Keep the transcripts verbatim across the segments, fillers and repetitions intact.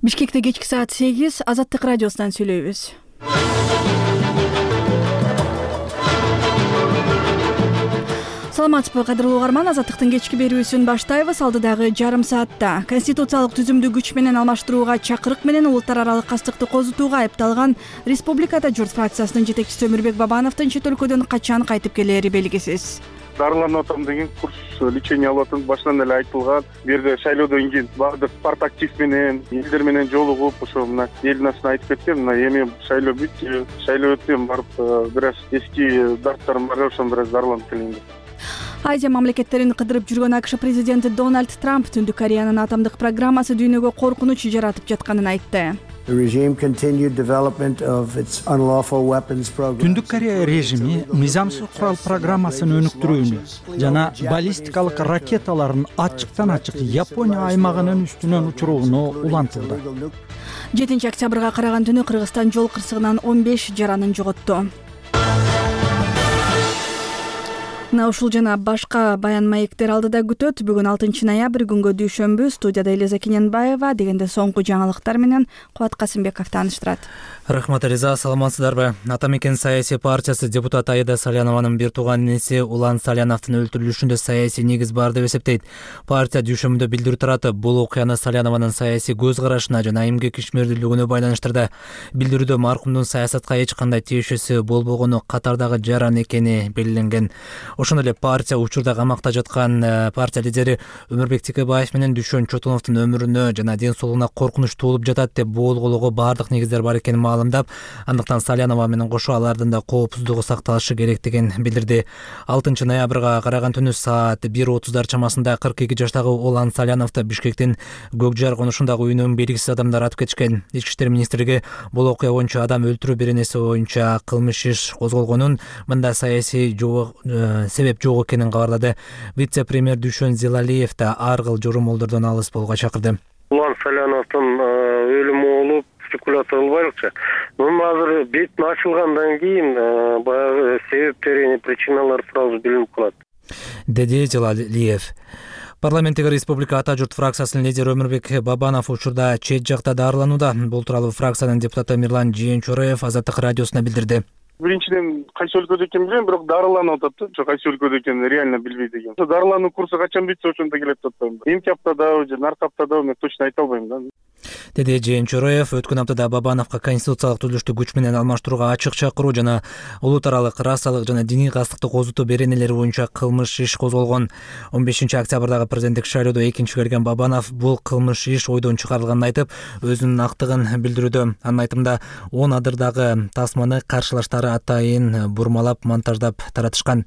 Бишкекте кечки саат сегиз, Азаттык радиосунан сүйлөйбүз. Саламатсызбы, кадырлуу угарман, Азаттыктын кечки берүүсүн баштайбыз. Алдыдагы жарым саатта конституциялык түзүмдү күч менен алмаштырууга чакырык менен улуттар аралык кастыкты козутууга айыпталган Республикада журт фракциясынын жетекчиси Өмүрбек Бабановдун чет өлкөдөн качан кайтып келери белгисиз. Дарыланып атам деген курс лечение алып атам, башынан эле айтылган. Бу жерде шайлоодон кийин баардык партактив менен, элдер менен жолугуп, ошо мына элдин астына айтып кеткен, мына эми шайлоо бүттү, шайлоо өтсөм барып бир аз эски дарттарым бар, ошон бир аз дарыланып келейин деп. Азия мамлекеттерин кыдырып жүргөн АКШ президенти Дональд Трамп Түндүк Кореянын атомдук программасы дүйнөгө коркунуч жаратып жатканын айтты. Түндүк Корея режими мыйзамсыз курал программасын өнүктүрүүнү жана баллистикалык ракеталарын ачыктан ачык Япония аймагынын үстүнөн учурууну улантылды. жетинчи октябрга караган түнү Кыргызстан жол кырсыгынан он беш жаранын жоготту. Мына ушул жана башка баян маектер алдыда күтөт. Бүгүн алтынчы ноябрь күнгө дүйшөмбү. Студияда Элиза Кененбаева, дегенде соңку жаңылыктар менен Кубат Касымбеков тааныштырат. Рахмат, Элиза, саламатсыздарбы? Атамекен саясий партиясы депутат Аида Салянованын бир тууган инеси Улан Саляновдун өлтүрүлүшүндө саясий негиз бар деп эсептейт. Партия дүйшөмбүдө билдирүү таратып, бул окуяны Салянованын саясий көз карашына жана эмгек ишмердүүлүгүнө байланыштырды. Билдирүүдө маркумдун саясатка эч кандай тиешеси болбогону, катардагы жаран экени белгиленген. Ошондой эле партия учурда камакта жаткан партия лидери Өмүрбек Текебаев менен Дүйшөн Чотуновдун өмүрүнө жана ден соолугуна коркунуч туулуп жатат деп болгоого баардык негиздер бар экенин маалымдап, андыктан Салянова менен кошо алардын да коопсуздугу сакталышы керектигин билдирди. алтынчы ноябрга караган түнү саат бир отуздар чамасында кырк эки жаштагы Улан Саляновду Бишкектин Көкжар конушундагы үйүнөн белгисиз адамдар атып кетишкен. Ички иштер министрлиги бул окуя боюнча адам өлтүрүү беренеси боюнча кылмыш иш козголгонун, мында саясий жок себеп жок экенин кабарлады. Вице-премьер Дүйшөн Зилалиев да ар кыл жорумолдордон алыс болууга чакырды. Улан Саляновдун өлүмү болуп спекуляция кылбайлыкчы. Муну азыр бетин ачылгандан кийин баягы себептери, причиналар тууралуу билинип калат, деди Зилалиев. Парламенттеги Республика Ата журт фракциясынын лидери Өмүрбек Бабанов учурда чет жакта дарыланууда. Бул тууралуу фракциянын депутаты Мирлан Жээнчороев Азаттык радиосуна билдирди. Биринчиден кайсы өлкөдө экенин билем, бирок дарыланып атат да. Кайсы өлкөдө экенин реально билбейт экен. Дарылануу курсу качан бүтсө ошондо келет деп атпайм. Эмки аптадабы же наркы аптадабы мен точно айта албайм да. Деди Жээнчороев. Өткөн аптада Бабановго конституциялык түзүлүштү күч менен алмаштырууга ачык чакыруу жана улут аралык расалык жана диний кастыкты козутуу беренелери боюнча кылмыш иш козголгон. он бешинчи октябрдагы президенттик шайлоодо экинчи келген Бабанов бул кылмыш иш ойдон чыгарылганын айтып, өзүнүн актыгын билдирүүдө. Анын айтымында он адырдагы тасманы каршылаштары атайын бурмалап, монтаждап таратышкан.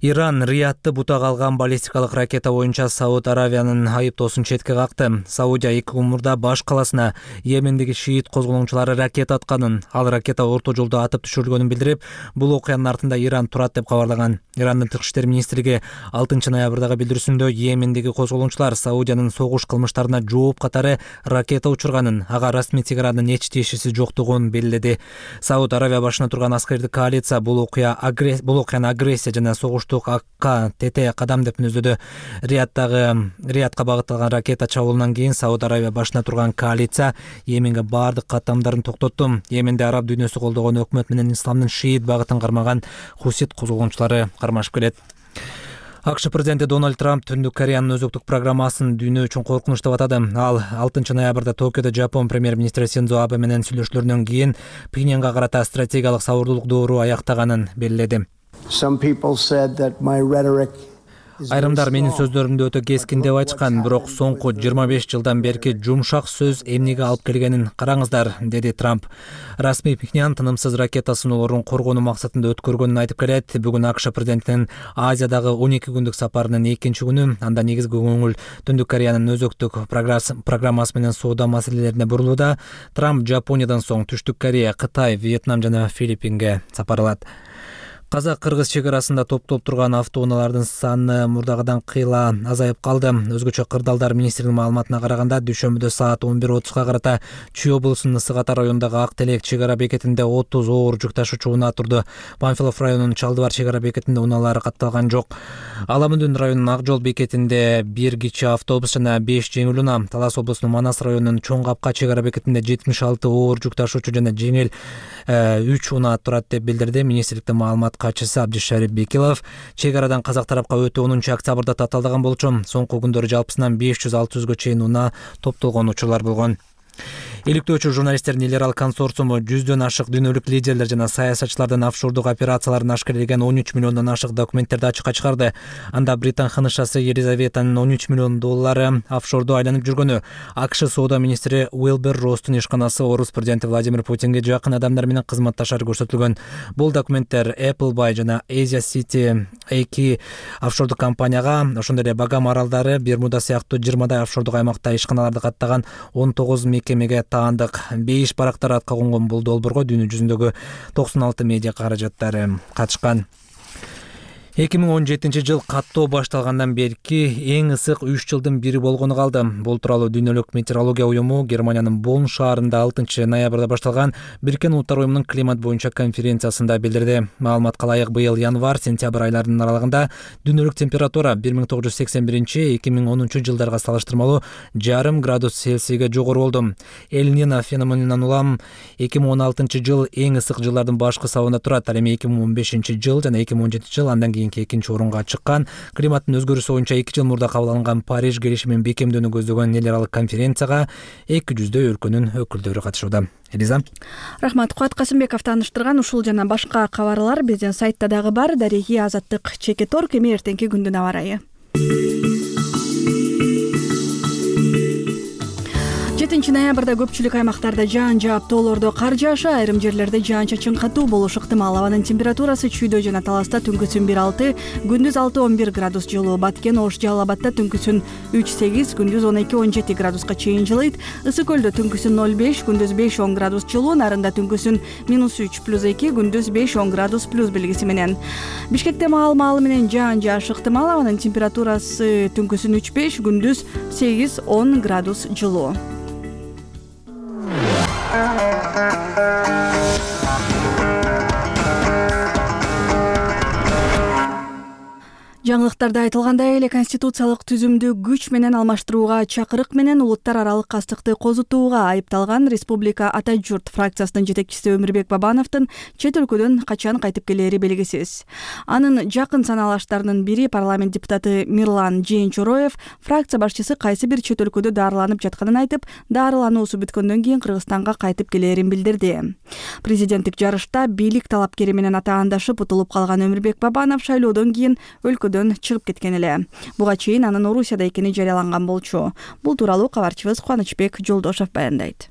Иран Риядты бутага алган баллистикалык ракета боюнча Сауд Аравиянын айыптоосун четке какты. Саудия эки күн мурда баш каласына Йемендеги шиит козголоңчулары ракета атканын, ал ракета орто жолдо атып түшүрүлгөнүн билдирип, бул окуянын артында Иран турат деп кабарлаган. Ирандын тышкы иштер министрлиги алтынчы ноябрдагы билдирүүсүндө Йемендеги козголоңчулар Саудиянын согуш кылмыштарына жооп катары ракета учурганын, ага расмий Тегерандын эч тиешеси жоктугун белгиледи. Сауд Аравия башына турган аскердик коалиция бул окуя бул окуяны агрессия жана согуш АК ТТ кадам деп мүнөздөдү. Риядтагы Риядка багытталган ракета чабуулунан кийин Сауд Аравия башына турган коалиция Йеменге баардык каттамдарын токтотту. Йеменде араб дүйнөсү колдогон өкмөт менен исламдын шиит багытын кармаган хусит козголоңчулары кармашып келет. АКШ президенти Дональд Трамп Түндүк Кореянын өзөктүк программасын дүйнө үчүн коркунуч деп атады. Ал алтынчы ноябрда Токиодо Жапон премьер-министри Синдзо Абе менен сүйлөшүүлөрүнөн кийин Пхеньянга карата стратегиялык сабырдуулук доору аяктаганын белгиледи. Айрымдар менин сөздөрүмдү өтө кескин деп айтышкан, бирок соңку жыйырма беш жылдан берки жумшак сөз эмнеге алып келгенин караңыздар, деди Трамп. Расмий Пхеньян тынымсыз ракета сыноолорун коргонуу максатында өткөргөнүн айтып келет. Бүгүн АКШ президентинин Азиядагы он эки күндүк сапарынын экинчи күнү. Анда негизги көңүл Түндүк Кореянын өзөктүк программасы менен соода маселелерине бурулууда. Трамп Жапониядан соң Түштүк Корея, Кытай, Вьетнам жана Филиппинге сапар алат. Казак-кыргыз чек арасында топтолуп турган автоунаалардын саны мурдагыдан кыйла азайып калды. Өзгөчө Кырдаалдар министринин маалыматына караганда, дүйшөмбүдө саат он бир отузга карата Чүй облусунун Ысык Ата районундагы Ак Телек чек ара бекетинде отуз оор жүк ташуучу унаа турду. Панфилов районунун Чалдыбар чек ара бекетинде унаалар катталган жок. Аламүндүн районунун Ак Жол бекетинде бир кичи автобус жана беш жеңил унаа, Талас облусунун Манас районунун Чоң Капка чек ара бекетинде жетимиш алты оор жүк ташуучу жана жеңил үч унаа турат деп билдирди министрликтин маалымат катчысы Абдишарип Бекилов. Чек арадан казак тарапка өтө онунчу октябрда таталдаган болчу. Соңку күндөрү жалпысынан беш жүз алты жүзгө чейин унаа топтолгон учурлар болгон. Иликтөөчү журналисттердин эл аралык консорциуму жүздөн ашык дүйнөлүк лидерлер жана саясатчылардын офшордук операцияларын ашкерелеген он үч миллиондон ашык документтерди ачыкка чыгарды. Анда Британ ханышасы Елизаветанын он үч миллион доллары офшордо айланып жүргөнү, АКШ соода министри Уилбер Росстун ишканасы орус президенти Владимир Путинге жакын адамдар менен кызматташары көрсөтүлгөн. Бул документтер Appleby жана Asia City эки офшордук компанияга, ошондой эле Багам аралдары, Бермуда сыяктуу жыйырмадай офшордук аймакта ишканаларды каттаган он тогуз мекемеге таандык. Бейиш барактар атка конгон бул долбоорго дүйнө жүзүндөгү токсон алты медиа каражаттары катышкан. эки миң он жетинчи жыл каттоо башталгандан берки эң ысык үч жылдын бири болгону калды. Бул тууралуу дүйнөлүк метеорология уюму Германиянын Бонн шаарында алтынчы ноябрда башталган Бириккен Улуттар уюмунун климат боюнча конференциясында билдирди. Маалыматка ылайык, быйыл январь-сентябрь айларынын аралыгында дүйнөлүк температура бир миң тогуз жүз сексен биринчи — эки миң онунчу жылдарга салыштырмалуу жарым градус Цельсийге жогору болду. Эль-Нино феноменинен улам эки миң он алтынчы жыл эң ысык жылдардын башкы сабында турат. Ал эми эки миң он бешинчи жыл жана эки миң он жетинчи жыл андан кийин экинчи орунга чыккан. Климаттын өзгөрүүсү боюнча эки жыл мурда кабыл алынган Париж келишимин бекемдөөнү көздөгөн эл аралык конференцияга эки жүздөй өлкөнүн өкүлдөрү катышууда. Элиза. Рахмат. Кубат Касымбеков тааныштырган ушул жана башка кабарлар биздин сайтта дагы бар. Дареги Азаттык Чекеторг. Эми эртеңки күндүн аба ырайы. жетинчи ноябрда көпчүлүк аймактарда жаан жаап, тоолордо кар жаашы, айрым жерлерде жаан-чачын катуу болушу ыктымал. Абанын температурасы Чүйдө жана Таласта түнкүсүн бир алты, күндүз алты он бир градус жылуу. Баткен, Ош, Жалал Абадта түнкүсүн үч сегиз, күндүз он эки он жети градуска чейин жылыйт. Ысык көлдө түнкүсүн ноль беш, күндүз беш он градус жылуу. Нарында түнкүсүн минус үч плюс эки, күндүз беш он градус плюс белгиси менен. Бишкекте маал-маалы менен жаан жаашы ыктымал. Абанын температурасы түнкүсүн үч беш, күндүз сегиз он градус жылуу. Жаңылыктарда айтылгандай эле конституциялык түзүмдү күч менен алмаштырууга чакырык менен улуттар аралык кастыкты козутууга айыпталган Республика Ата журт фракциясынын жетекчиси Өмүрбек Бабановдун чет өлкөдөн качан кайтып келери белгисиз. Анын жакын санаалаштарынын бири парламент депутаты Мирлан Жээнчороев фракция башчысы кайсы бир чет өлкөдө дарыланып жатканын айтып, дарылануусу бүткөндөн кийин Кыргызстанга кайтып келерин билдирди. Президенттик жарышта бийлик талапкери менен атаандашып утулуп калган Өмүрбек Бабанов шайлоодон кийин өлкөдөн чыгып кеткен эле. Буга чейин анын Орусияда экени жарыяланган болчу. Бул тууралуу кабарчыбыз Кубанычбек Жолдошов баяндайт.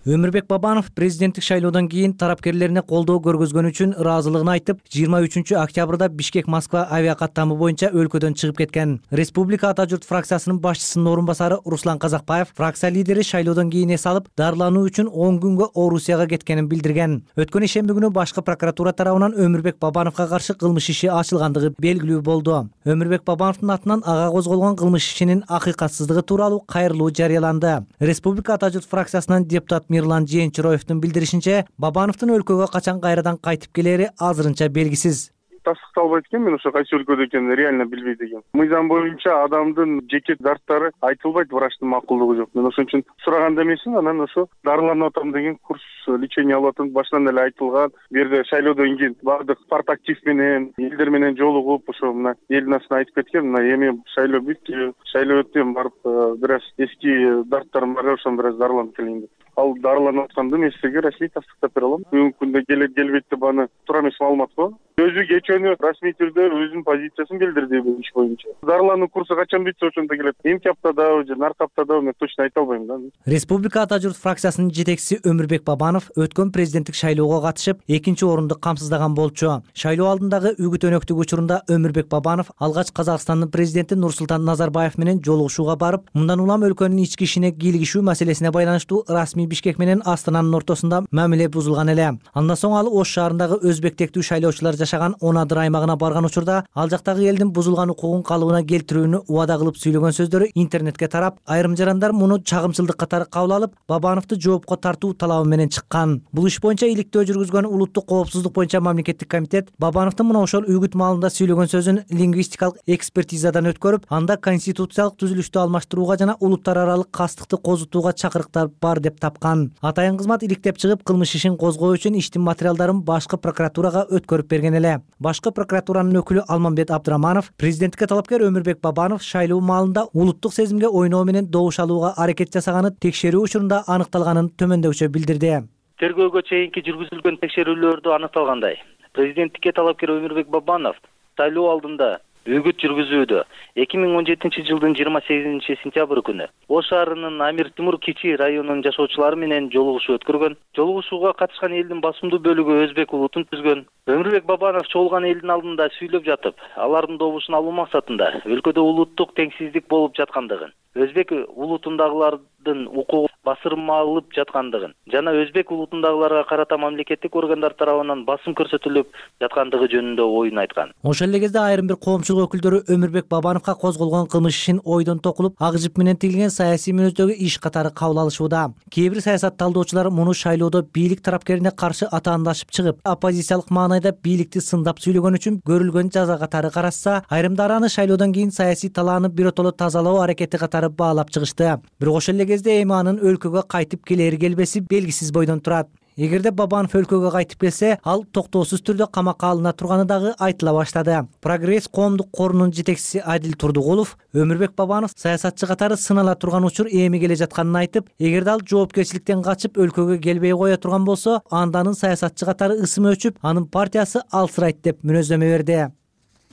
Өмүрбек Бабанов президенттик шайлоодон кийин тарапкерлерине колдоо көргөзгөнү үчүн ыраазылыгын айтып, жыйырма үчүнчү октябрда Бишкек-Москва авиакаттамы боюнча өлкөдөн чыгып кеткен. Республика Ата журт фракциясынын башчысынын орун басары Руслан Казакбаев фракция лидери шайлоодон кийин эс алып, дарылануу үчүн он күнгө Орусияга кеткенин билдирген. Өткөн ишемби күнү башкы прокуратура тарабынан Өмүрбек Бабановго каршы кылмыш иши ачылгандыгы белгилүү болду. Өмүрбек Бабановдун атынан ага козголгон кылмыш ишинин акыйкатсыздыгы тууралуу кайрылуу жарыяланды. Республика Ата журт фракциясынан депутат Мирлан Жээнчороевдун билдиришинче, Бабановдун өлкөгө качан кайрадан кайтып келери азырынча белгисиз. Тастыкталбайт экен, мен ошо кайсы өлкөдө экенин реально билбейт экенм. Мыйзам боюнча адамдын жеке дарттары айтылбайт, врачтын макулдугу жок. Мен ошон үчүн сураганда эмесмин, анан ошо дарыланып атам деген курс лечение алып атам. Башынан эле айтылган, бу жерде шайлоодон кийин баардык партактив менен, элдер менен жолугуп, ошо мына эл насына айтып кеткен, мына эми шайлоо бүттү, шайлоо өттү, барып бир аз эски дарттарым бар, ошон бир аз дарыланып келейин деп. Ал дарыланып атканды мен сизге расмий тастыктап бере алам. Бүгүнкү күндө келет келбейт деп аны туура эмес маалымат го. Өзү кечөөнү расмий түрдө өзүнүн позициясын билдирди бул иш боюнча. Дарылануу курсу качан бүтсө ошондо келет. Эмки аптадабы же наркы аптадабы мен точно айта албайм да. Республика Ата журт фракциясынын жетекчиси Өмүрбек Бабанов өткөн президенттик шайлоого катышып, экинчи орунду камсыздаган болчу. Шайлоо алдындагы үгүт өнөктүк учурунда Өмүрбек Бабанов алгач Казакстандын президенти Нурсултан Назарбаев менен жолугушууга барып, мындан улам өлкөнүн ички ишине кийлигишүү маселесине байланыштуу расмий Бишкек менен Астананын ортосунда мамиле бузулган эле. Андан соң ал Ош шаарындагы өзбек тектүү шайлоочулар жашаган он адыр аймагына барган учурда ал жактагы элдин бузулган укугун калыбына келтирүүнү убада кылып сүйлөгөн сөздөрү интернетке тарап, айрым жарандар муну чагымчылдык катары кабыл алып, Бабановду жоопко тартуу талабы менен чыккан. Бул иш боюнча иликтөө жүргүзгөн улуттук коопсуздук боюнча мамлекеттик комитет Бабановдун мына ошол үгүт маалында сүйлөгөн сөзүн лингвистикалык экспертизадан өткөрүп, анда конституциялык түзүлүштү алмаштырууга жана улуттар аралык кастыкты козутууга чакырыктар бар деп тапкан. Атайын кызмат иликтеп чыгып, кылмыш ишин козгоо үчүн иштин материалдарын башкы прокуратурага өткөрүп берген эле. Башкы прокуратуранын өкүлү Алмамбет Абдыраманов президенттикке талапкер Өмүрбек Бабанов шайлоо маалында улуттук сезимге ойноо менен добуш алууга аракет жасаганы текшерүү учурунда аныкталганын төмөндөкчө билдирди. Тергөөгө чейинки жүргүзүлгөн текшерүүлөрдө аныкталгандай, президенттикке талапкер Өмүрбек Бабанов шайлоо алдында үгүт жүргүзүүдө эки миң он жетинчи жылдын жыйырма сегизинчи сентябрь күнү Ош шаарынын Амир Тимур Кичи районунун жашоочулары менен жолугушуу өткөргөн. Жолугушууга катышкан элдин басымдуу бөлүгү өзбек улутун түзгөн. Өмүрбек Бабанов чогулган элдин алдында сүйлөп жатып, алардын добушун алуу максатында өлкөдө улуттук теңсиздик болуп жаткандыгын, өзбек улутундагылардын укугу басырмалып жаткандыгын жана өзбек улутундагыларга карата мамлекеттик органдар тарабынан басым көрсөтүлүп жаткандыгы жөнүндө оюн айткан. Ошол эле кезде айрым бир коомчулук өкүлдөрү Өмүрбек Бабановго козголгон кылмыш ишин ойдон токулуп, ак жип менен тигилген саясий мүнөздөгү иш катары кабыл алышууда. Кээ бир саясат талдоочулар муну шайлоодо бийлик тарапкерине каршы атаандашып чыгып, оппозициялык маанайда бийликти сындап сүйлөгөн үчүн көрүлгөн жаза катары карашса, айрымдары аны шайлоодон кийин саясий талааны биротоло тазалоо аракети катары баалап чыгышты. Бирок ошол эле кезде эми анын өлкөгө кайтып келери келбеси белгисиз бойдон турат. Эгерде Бабанов өлкөгө кайтып келсе, ал токтоосуз түрдө камакка алына турганы дагы айтыла баштады. Прогресс коомдук корунун жетекчиси Адил Турдугулов Өмүрбек Бабанов саясатчы катары сынала турган учур эми келе жатканын айтып, эгерде ал жоопкерчиликтен качып өлкөгө келбей кое турган болсо, анда анын саясатчы катары ысымы өчүп, анын партиясы алсырайт деп мүнөздөмө берди.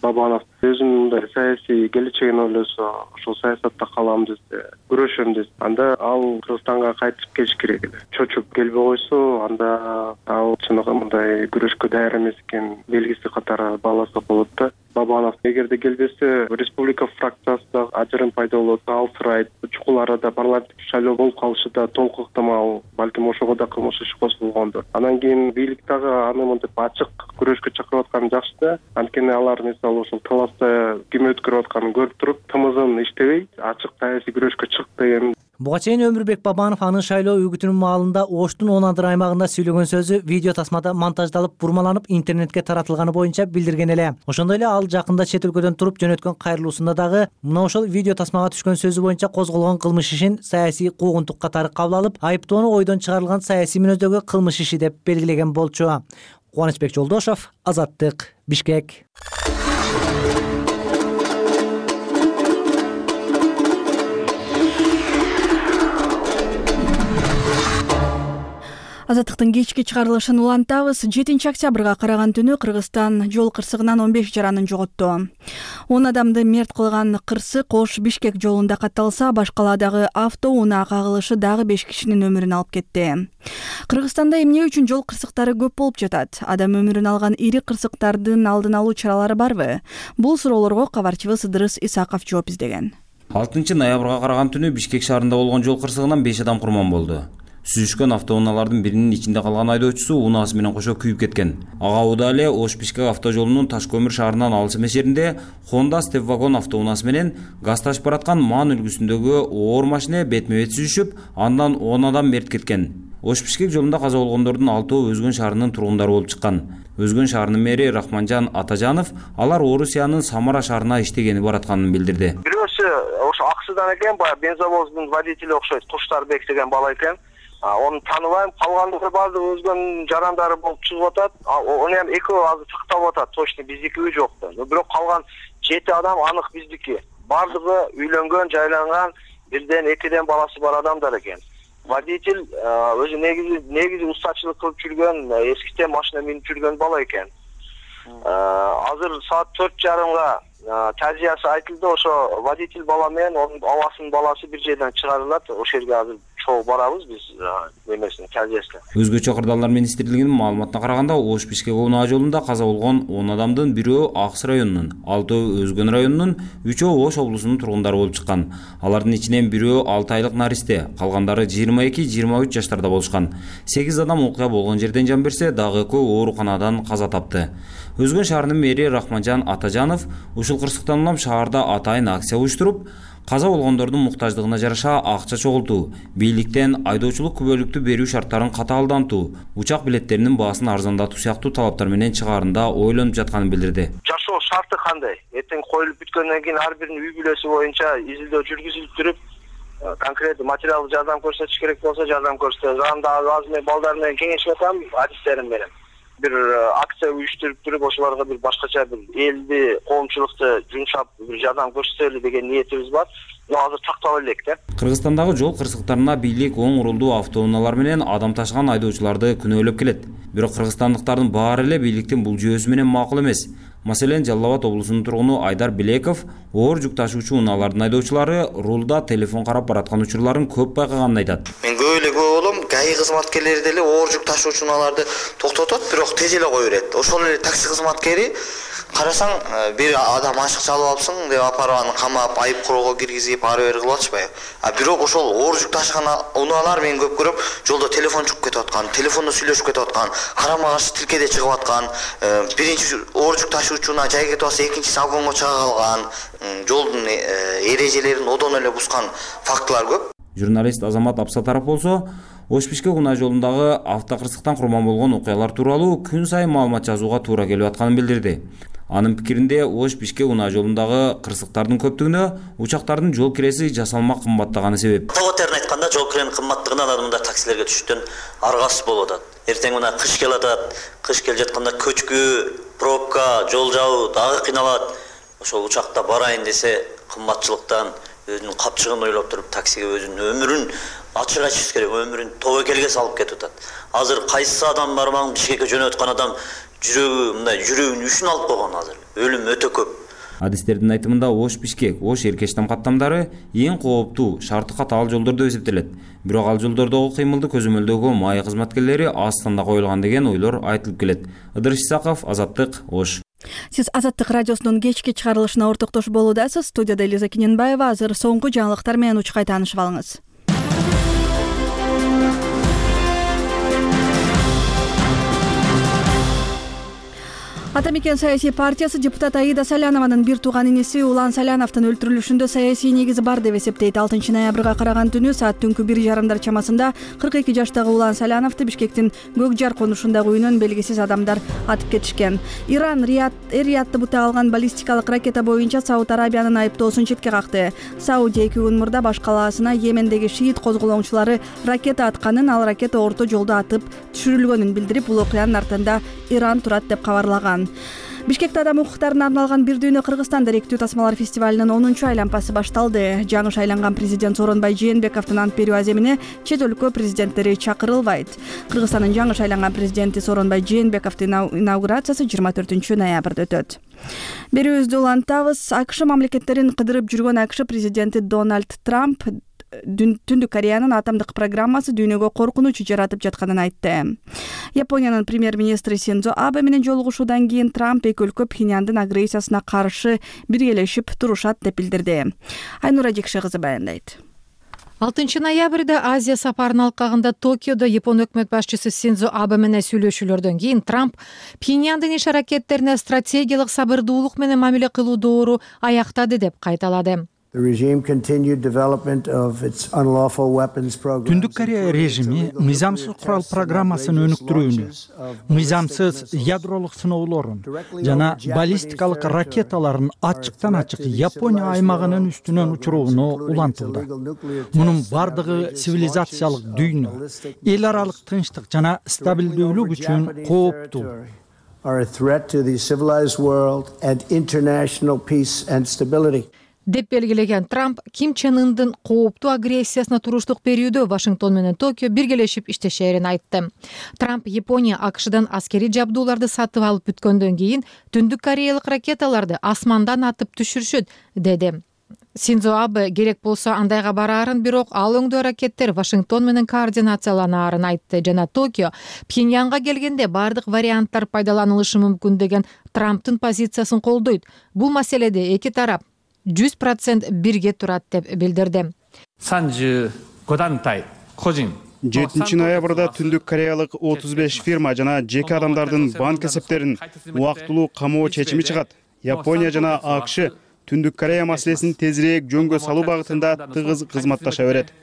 Бабанов өзүнүн мындай саясий келечегин ойлосо, ошол саясатта калам десе, күрөшөм десе, анда ал Кыргызстанга кайтып келиш керек эле. Чочуп келбей койсо, анда ал чыныгы мындай күрөшкө даяр эмес экен белгиси катары бааласа болот да. Бабанов эгерде келбесе, республика фракциясында ажырым пайда болот, алсырайт, чукул арада парламенттик шайлоо болуп калышы да толук ыктымал, балким ошого да кылмыш иш козголгондур. Анан кийин бийлик дагы аны мынтип ачык күрөшкө чакырып атканы жакшы да. Анткени алар мисалы ошол таласта ким өткөрүп атканын көрүп туруп, тымызын иштебей, ачык саясий күрөшкө чык деген. Буга чейин Өмүрбек Бабанов анын шайлоо үгүтүнүн маалында Оштун он адыр аймагында сүйлөгөн сөзү видео тасмада монтаждалып, бурмаланып, интернетке таратылганы боюнча билдирген эле. Ошондой эле ал жакында чет өлкөдөн туруп жөнөткөн кайрылуусунда дагы мына ошол видео тасмага түшкөн сөзү боюнча козголгон кылмыш ишин саясий куугунтук катары кабыл алып, айыптоону ойдон чыгарылган саясий мүнөздөгү кылмыш иши деп белгилеген болчу. Кубанычбек Жолдошов, Азаттык, Бишкек. Азаттыктын кечки чыгарылышын улантабыз. жетинчи октябрга караган түнү Кыргызстан жол кырсыгынан он беш жаранын жоготту. он адамды мерт кылган кырсык Ош Бишкек жолунда катталса, башкаладагы автоунаа кагылышы дагы беш кишинин өмүрүн алып кетти. Кыргызстанда эмне үчүн жол кырсыктары көп болуп жатат? Адам өмүрүн алган ири кырсыктардын алдын алуу чаралары барбы? Бул суроолорго кабарчыбыз Ыдырыс Исаков жооп издеген. алтынчы ноябрга караган түнү Бишкек шаарында болгон жол кырсыгынан беш адам курман болду. Сүзүшкөн автоунаалардын биринин ичинде калган айдоочусу унаасы менен кошо күйүп кеткен. Ага учурда эле Ош Бишкек автожолунун Таш көмүр шаарынан алыс эмес жеринде Honda Step вагон автоунаасы менен газ ташып бараткан ман үлгүсүндөгү оор машина бетме бет сүзүшүп, андан он адам мерт кеткен. Ош Бишкек жолунда каза болгондордун алтоо Өзгөн шаарынын тургундары болуп чыккан. Өзгөн шаарынын мэри Рахманжан Атажанов алар Орусиянын Самара шаарына иштегени баратканын билдирди. Бирөөсү ошо Аксыдан экен, баягы бензовоздун водители окшойт, Куштарбек деген бала экен. Onu tanıbayım, kalgandары баардыгы өзгөн жарандары болуп чыгып атат. Onu hem экөө азыр сактап атат, точно биздики жокто. Бирок калган жети адам анык биздики. Баардыгы үйлөнгөн, жайланган, бирден экиден баласы бар адамдар экен. Водитель өзү негизи негизи устачылык кылып жүргөн, эскитен машина минип жүргөн бала экен. Азыр саат төрт жарымга тазиясы айтылды, ошо водитель бала менен анын абасынын баласы бир жерден чыгарылат. Ошол жерге азыр чогуу барабыз биз эмесине келесине. Өзгөчө кырдаалдар министрлигинин маалыматына караганда, Ош Бишкек унаа жолунда каза болгон он адамдын бирөө Акс районунун, алтөө Өзгөн районунун, үчөө Ош облусунун тургундары болуп чыккан. Алардын ичинен бирөө алты айлык наристе, калгандары жыйырма эки жыйырма үч жаштарда болушкан. сегиз адам окуя болгон жерден жан берсе, дагы экөө ооруканадан каза тапты. Өзгөн шаарынын мэри Рахманжан Атажанов ушул кырсыктан улам шаарда атайын акция уюштуруп, каза болгондордун муктаждыгына жараша акча чогултуу, бийликтен айдоочулук күбөлүктү берүү шарттарын катаалдантуу, учак билеттеринин баасын арзандатуу сыяктуу талаптар менен чыгаарында ойлонуп жатканын билдирди. Жашоо шарты кандай? Эртең коюлуп бүткөндөн кийин ар биринин үй бүлөсү боюнча изилдөө жүргүзүлүп туруп, конкреттүү материалдык жардам көрсөтүш керек болсо жардам көрсөтөбүз. Анда азыр мен балдар менен кеңешип атам, адистерим менен. Бир акция уюштуруп туруп, ошолорго бир башкача бир элди, коомчулукту жумшап бир жардам көрсөтөлү деген ниетибиз бар. Но азыр тактап элек да. Кыргызстандагы жол кырсыктарына бийлик оң урулдуу автоунаалар менен адам ташыган айдоочуларды күнөөлөп келет. Бирок кыргызстандыктардын баары эле бийликтин бул жүйөсү менен макул эмес. Маселен, Жалал Абад облусунун тургуну Айдар Билеков оор жүк ташуучу унаалардын айдоочулары рулда телефон карап бараткан учурларын көп байкаганын айтат. Мен көп эле көп болом, ГАИ кызматкерлери деле оор жүк ташуучу унааларды токтотот, бирок тез эле кое берет. Ошол эле такси кызматкери карасаң, бир адам ашык чалып алыпсың деп апарып аны камап, айып куроо киргизип, ары бери кылып атышпайбы. А бирок ошол оор жүк ташыган унаалар мен көп көрөм, жолдо телефон чугуп кетип аткан, телефондо сүйлөшүп кетип аткан, карама каршы тилкеде чыгып аткан, биринчи оор жүк ташуучу унаа жай кетип атса, экинчиси агонго чыга калган, жолдун эрежелерин одон эле бускан фактылар көп. Журналист Азамат Апсатаров болсо, Ош Бишкек унаа жолундагы автокырсыктан курман болгон окуялар тууралуу күн сайын маалымат жазууга туура келип атканын билдирди. Анын пикиринде, Ош Бишкек унаа жолундагы кырсыктардын көптүгүнө учактардын жол киреси жасалма кымбаттаганы себеп. Тоgoтерин айтканда, жол киренин кымбаттыгынан адамдар таксилерге түшүштөн аргасыз болуп атат. Эртең мына кыш келип атат, кыш келип жатканда көчкү, пробка, жол жабуу дагы кыйналат. Ошол учакта барайын десе, кымбатчылыктан өзүнүн капчыгын ойлоп туруп таксиге өзүнүн өмүрүн ачык ачыш керек, өмүрүн тобокелге салып кетип атат. Азыр кайсы адам бармаң Бишкекке жөнөп аткан адам жүрөгү мындай жүрөгүнүн үшүн алып койгон азыр. Өлүм өтө көп. Адистердин айтымында Ош Бишкек, Ош Эркештам каттамдары эң кооптуу, шарты катаал жолдор деп эсептелет. Бирок ал жолдордогу кыймылды көзөмөлдөгө МАИ кызматкерлери аз санда коюлган деген ойлор айтылып келет. Ыдырыш Исаков, Азаттык, Ош. Сиз Азаттык радиосунун кечки чыгарылышына ортоктошуп болуудасыз. Студияда Элиза Кененбаева. Азыр соңку жаңылыктар менен учкай таанышып алыңыз. Ата мекен саясий партиясы депутат Аида Салянованын бир тууган иниси Улан Саляновдун өлтүрүлүшүндө саясий негизи бар деп эсептейт. алтынчы ноябрга караган түнү саат түнкү бир жарымдар чамасында кырк эки жаштагы Улан Саляновду Бишкектин Көк Жар конушундагы үйүнөн белгисиз адамдар атып кетишкен. Иран Эр-Риядты бута алган баллистикалык ракета боюнча Сауд Арабиянын айыптоосун четке какты. Саудия эки күн мурда баш калаасына Йемендеги шиит козголоңчулары ракета атканын, ал ракета орто жолдо атып түшүрүлгөнүн билдирип, бул окуянын артында Иран турат деп кабарлаган. Бишкекте адам укуктарына арналган бир дүйнө Кыргызстан даректүү тасмалар фестивалынын онунчу айланпасы башталды. Жаңы шайланган президент Сооронбай Жээнбековдун ант берүү аземине чет өлкө президенттери чакырылбайт. Кыргызстандын жаңы шайланган президенти Сооронбай Жээнбековдун инаугурациясы жыйырма төртүнчү ноябрда өтөт. Берүүбүздү улантабыз. АКШ мамлекеттерин кыдырып жүргөн АКШ президенти Дональд Трамп Түндүк Кореянын атомдук программасы дүйнөгө коркунуч жаратып жатканын айтты. Япониянын премьер-министри Синдзо Абе менен жолугушуудан кийин Трамп эки өлкө Пхеньяндын агрессиясына каршы биргелешип турушат деп билдирди. Айнура Жекше кызы баяндайт. алтынчы ноябрда Азия сапарынын алкагында Токиодо Япон өкмөт башчысы Синдзо Абе менен сүйлөшүүлөрдөн кийин Трамп Пхеньяндын иш аракеттерине стратегиялык сабырдуулук менен мамиле кылуу доору аяктады деп кайталады. Түндүк Корея режими мыйзамсыз курал программасын өнүктүрүүнү, мыйзамсыз ядролук сыноолорун жана баллистикалык ракеталарын ачыктан ачык Япония аймагынын үстүнөн учурууну улантууда. Мунун бардыгы цивилизациялык дүйнө, эл аралык тынчтык жана стабилдүүлүк үчүн кооптуу. Деп белгилеген Трамп Ким Чен Ындын кооптуу агрессиясына туруштук берүүдө Вашингтон менен Токио биргелешип иштешерин айтты. Трамп Япония АКШдан аскерий жабдууларды сатып алып бүткөндөн кийин Түндүк Кореялык ракеталарды асмандан атып түшүрүшөт деди. Синдзо Абе керек болсо андайга бараарын, бирок ал өңдөө аракеттер Вашингтон менен координацияланаарын айтты жана Токио Пхеньянга келгенде бардык варианттар пайдаланылышы мүмкүн деген Трамптын позициясын колдойт. Бул маселеде эки тарап жүз процент бирге турат деп билдирди. жетинчи ноябрда Түндүк Кореялык отуз беш фирма жана жеке адамдардын банк эсептерин убактылуу камоо чечими чыгат. Япония жана АКШ Түндүк Корея маселесин тезирээк жөнгө салуу багытында тыгыз кызматташа берет.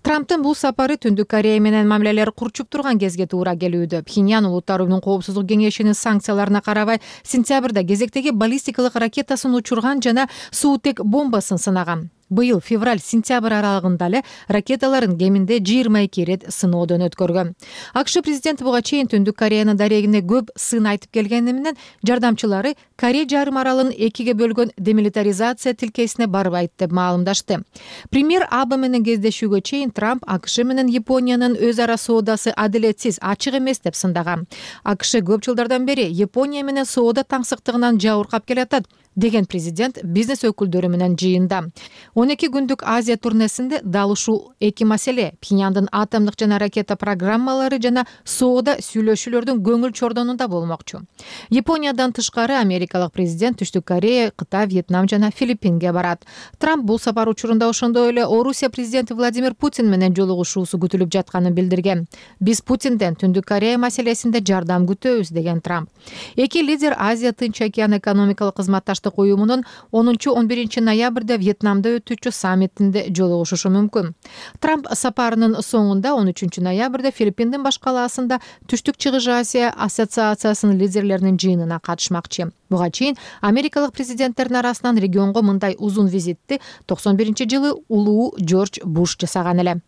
Трамптын бул сапары Түндүк Корея менен мамилелер курчуп турган кезге туура келүүдө. Пхеньян Улуттар уюмунун коопсуздук кеңешинин санкцияларына карабай сентябрда кезектеги баллистикалык ракетасын учурган жана суутек бомбасын сынаган. Быйыл февраль-сентябрь аралыгында эле ракеталарын кеминде жыйырма эки ирет сыноодон өткөргөн. АКШ президенти буга чейин Түндүк Кореянын дарегине көп сын айтып келгени менен жардамчылары Корея жарым аралын экиге бөлгөн демилитаризация тилкесине барбайт деп маалымдашты. Премьер Абе менен кездешүүгө чейин Трамп АКШ менен Япониянын өз ара соодасы адилетсиз, ачык эмес деп сындаган. АКШ көп жылдардан бери Япония менен соода таңсыктыгынан жабыркап келатат деген президент бизнес өкүлдөрү менен жыйында. он эки күндүк Азия турнесинде дал ушул эки маселе Пхеньяндын атомдук жана ракета программалары жана соода сүйлөшүүлөрдүн көңүл чордонунда болмокчу. Япониядан тышкары америкалык президент Түштүк Корея, Кытай, Вьетнам жана Филиппинге барат. Трамп бул сапар учурунда ошондой эле Орусия президенти Владимир Путин менен жолугушуусу күтүлүп жатканын билдирген. Биз Путинден Түндүк Корея маселесинде жардам күтөбүз деген Трамп. Эки лидер Азия Тынч океан экономикалык кызматташтык уюмунун онунчу он биринчи ноябрда Вьетнамда өтүүчү саммитинде жолугушушу мүмкүн. Трамп сапарынын соңунда он үчүнчү ноябрда Филиппиндин баш калаасында Түштүк Чыгыш Азия ассоциациясынын лидерлеринин жыйынына катышмакчы. Буга чейин америкалык президенттердин арасынан регионго мындай узун визитти токсон биринчи жылы улуу Жорж Буш жасаган эле.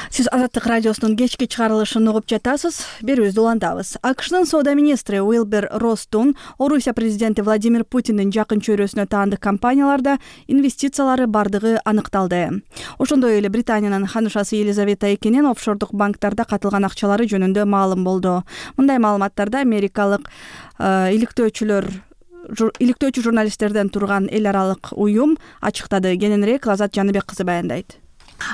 Сиз Азаттык радиосунун кечки чыгарылышын угуп жатасыз. Берүүбүздү улантабыз. АКШнын соода министри Уилбер Росстун Орусия президенти Владимир Путиндин жакын чөйрөсүнө таандык компанияларда инвестициялары бардыгы аныкталды. Ошондой эле Британиянын ханышасы Елизавета экинин офшордук банктарда катылган акчалары жөнүндө маалым болду. Мындай маалыматтарды америкалык иликтөөчүлөр иликтөөчү журналисттерден турган эл аралык уюм ачыктады. Кененирээк Азат Жаныбек кызы баяндайт.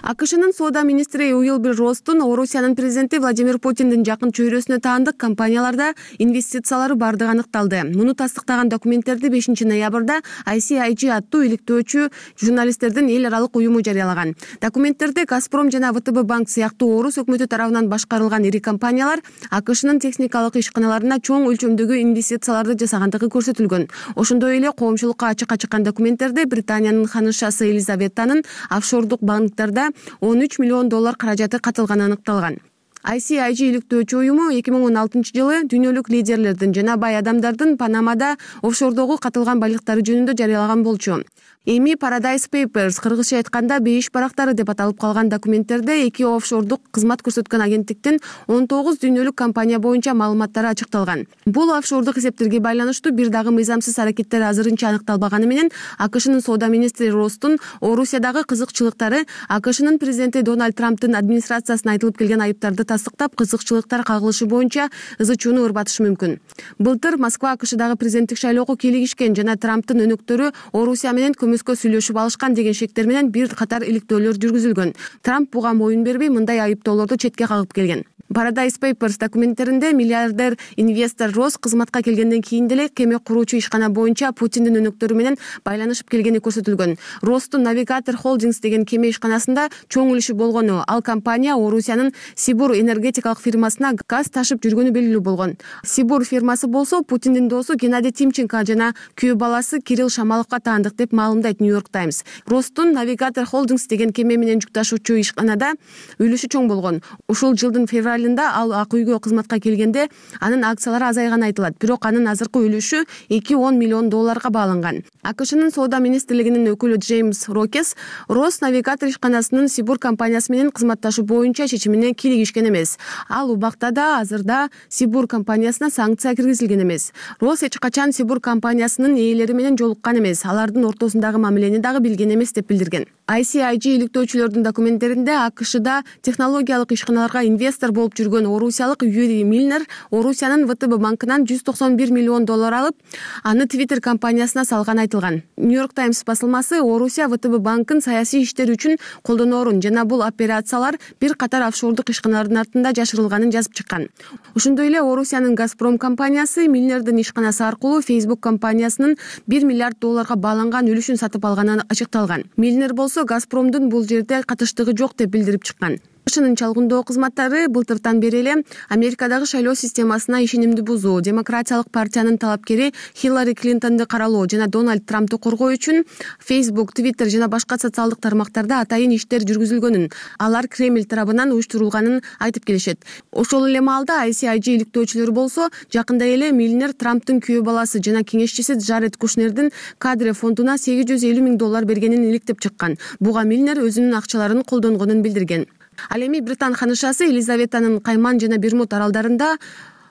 АКШнын соода министри Уилбер Росстун Орусиянын президенти Владимир Путиндин жакын чөйрөсүнө таандык компанияларда инвестициялары бардыгы аныкталды. Муну тастыктаган документтерди бешинчи ноябрда ай си ай джи аттуу иликтөөчү журналисттердин эл аралык уюму жарыялаган. Документтерде Газпром жана вэ тэ бэ банк сыяктуу орус өкмөтү тарабынан башкарылган ири компаниялар АКШнын техникалык ишканаларына чоң өлчөмдөгү инвестицияларды жасагандыгы көрсөтүлгөн. Ошондой эле коомчулукка ачыкка чыккан документтерде Британиянын ханышасы Елизаветанын офшордук банктарда он үч миллион доллар каражаты катылганы аныкталган. ай си ай джи иликтөөчү уюму эки миң он алтынчы жылы дүйнөлүк лидерлердин жана бай адамдардын Панамада офшордогу катылган байлыктары жөнүндө жарыялаган болчу. Эми Paradise Papers, кыргызча айтканда бейиш барактары деп аталып калган документтерде эки офшордук кызмат көрсөткөн агенттиктин он тогуз дүйнөлүк компания боюнча маалыматтары ачыкталган. Бул офшордук эсептерге байланыштуу бир дагы мыйзамсыз аракеттер азырынча аныкталбаганы менен АКШнын соода министри Росстун Орусиядагы кызыкчылыктары АКШнын президенти Дональд Трамптын администрациясына айтылып келген айыптарды тастыктап, кызыкчылыктар кагылышы боюнча ызы чууну ырбатышы мүмкүн. Былтыр Москва АКШдагы президенттик шайлоого кийлигишкен жана Трамптын өнөктөрү Орусия менен көмөскө сүйлөшүп алышкан деген шектер менен бир катар иликтөөлөр жүргүзүлгөн. Трамп буга моюн бербей, мындай айыптоолорду четке кагып келген. Paradise Papers документтеринде миллиардер инвестор Росс кызматка келгенден кийин деле кеме куруучу ишкана боюнча Путиндин өнөктөрү менен байланышып келгени көрсөтүлгөн. Росстун Navigator Holdings деген кеме ишканасында чоң үлүшү болгону, ал компания Орусиянын Сибур энергетикалык фирмасына газ ташып жүргөнү белгилүү болгон. Сибур фирмасы болсо Путиндин досу Геннадий Тимченко жана күйөө баласы Кирилл Шамаловго таандык деп маалымдайт Нью-Йорк Таймс. Росстун Navigator Holdings деген кеме менен жүк ташуучу ишканада үлүшү чоң болгон. Ушул жылдын февралында ал ак үйгө кызматка келгенде анын акциялары азайганы айтылат, бирок анын азыркы үлүшү эки он миллион долларга бааланган. АКШнын соода министрлигинин өкүлү Джеймс Рокес Росс Навигатор ишканасынын Сибур компаниясы менен кызматташуу боюнча чечимине кийлигишкен эмес. Ал убакта да азырда Сибур компаниясына санкция киргизилген эмес. Росс эч качан Сибур компаниясынын ээлери менен жолуккан эмес, алардын ортосундагы мамилени дагы билген эмес деп билдирген. ай си ай джи иликтөөчүлөрдүн документтеринде АКШда технологиялык ишканаларга инвестор болуп жүргөн орусиялык Юрий Мильнер Орусиянын вэ тэ бэ банкынан жүз токсон бир миллион доллар алып, аны Twitter компаниясына салганы айтылган. Нью-Йорк Таймс басылмасы Орусия вэ тэ бэ банкын саясий иштер үчүн колдоноорун жана бул операциялар бир катар офшордук ишканалардын артында жашырылганын жазып чыккан. Ошондой эле Орусиянын Газпром компаниясы Мильнердин ишканасы аркылуу Facebook компаниясынын бир миллиард долларга бааланган үлүшүн сатып алганы ачыкталган. Мильнер болсо Газпромдун бул жерде катыштыгы жок деп билдирип чыккан. АКШнын чалгындоо кызматтары былтыртан бери эле Америкадагы шайлоо системасына ишенимди бузуу, Демократиялык партиянын талапкери Хиллари Клинтонду каралоо жана Дональд Трампту коргоо үчүн Facebook, Twitter жана башка социалдык тармактарда атайын иштер жүргүзүлгөнүн, алар Кремль тарабынан уюштурулганын айтып келишет. Ошол эле маалда ай си ай джи иликтөөчүлөрү болсо жакында эле Мильнер Трамптын күйөө баласы жана кеңешчиси Джаред Кушнердин кадре фондуна сегиз жүз элүү миң доллар бергенин иликтеп чыккан. Буга Мильнер өзүнүн акчаларын колдонгонун билдирген. Ал эми Британ ханышасы Елизаветанын Кайман жана Бермуд аралдарында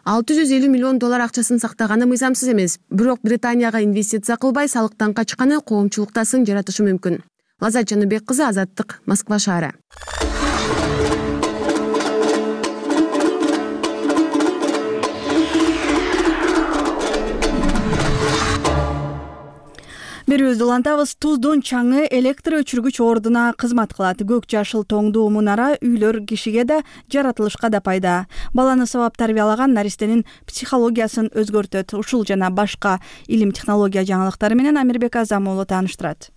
алты жүз элүү миллион доллар акчасын сактаганы мыйзамсыз эмес. Бирок Британияга инвестиция кылбай салыктан качканы коомчулукта сын жаратышы мүмкүн. Лазат Жаныбек кызы, Азаттык, Москва шаары. Берүүбүздү улантабыз. Туздун чаңы электр өчүргүч ордуна кызмат кылат. Көк жашыл тоңдуу мунара үйлөр кишиге да, жаратылышка да пайда. Баланы сабап тарбиялаган наристенин психологиясын өзгөртөт. Ушул жана башка илим технология жаңылыктары менен Амирбек Азам уулу тааныштырат.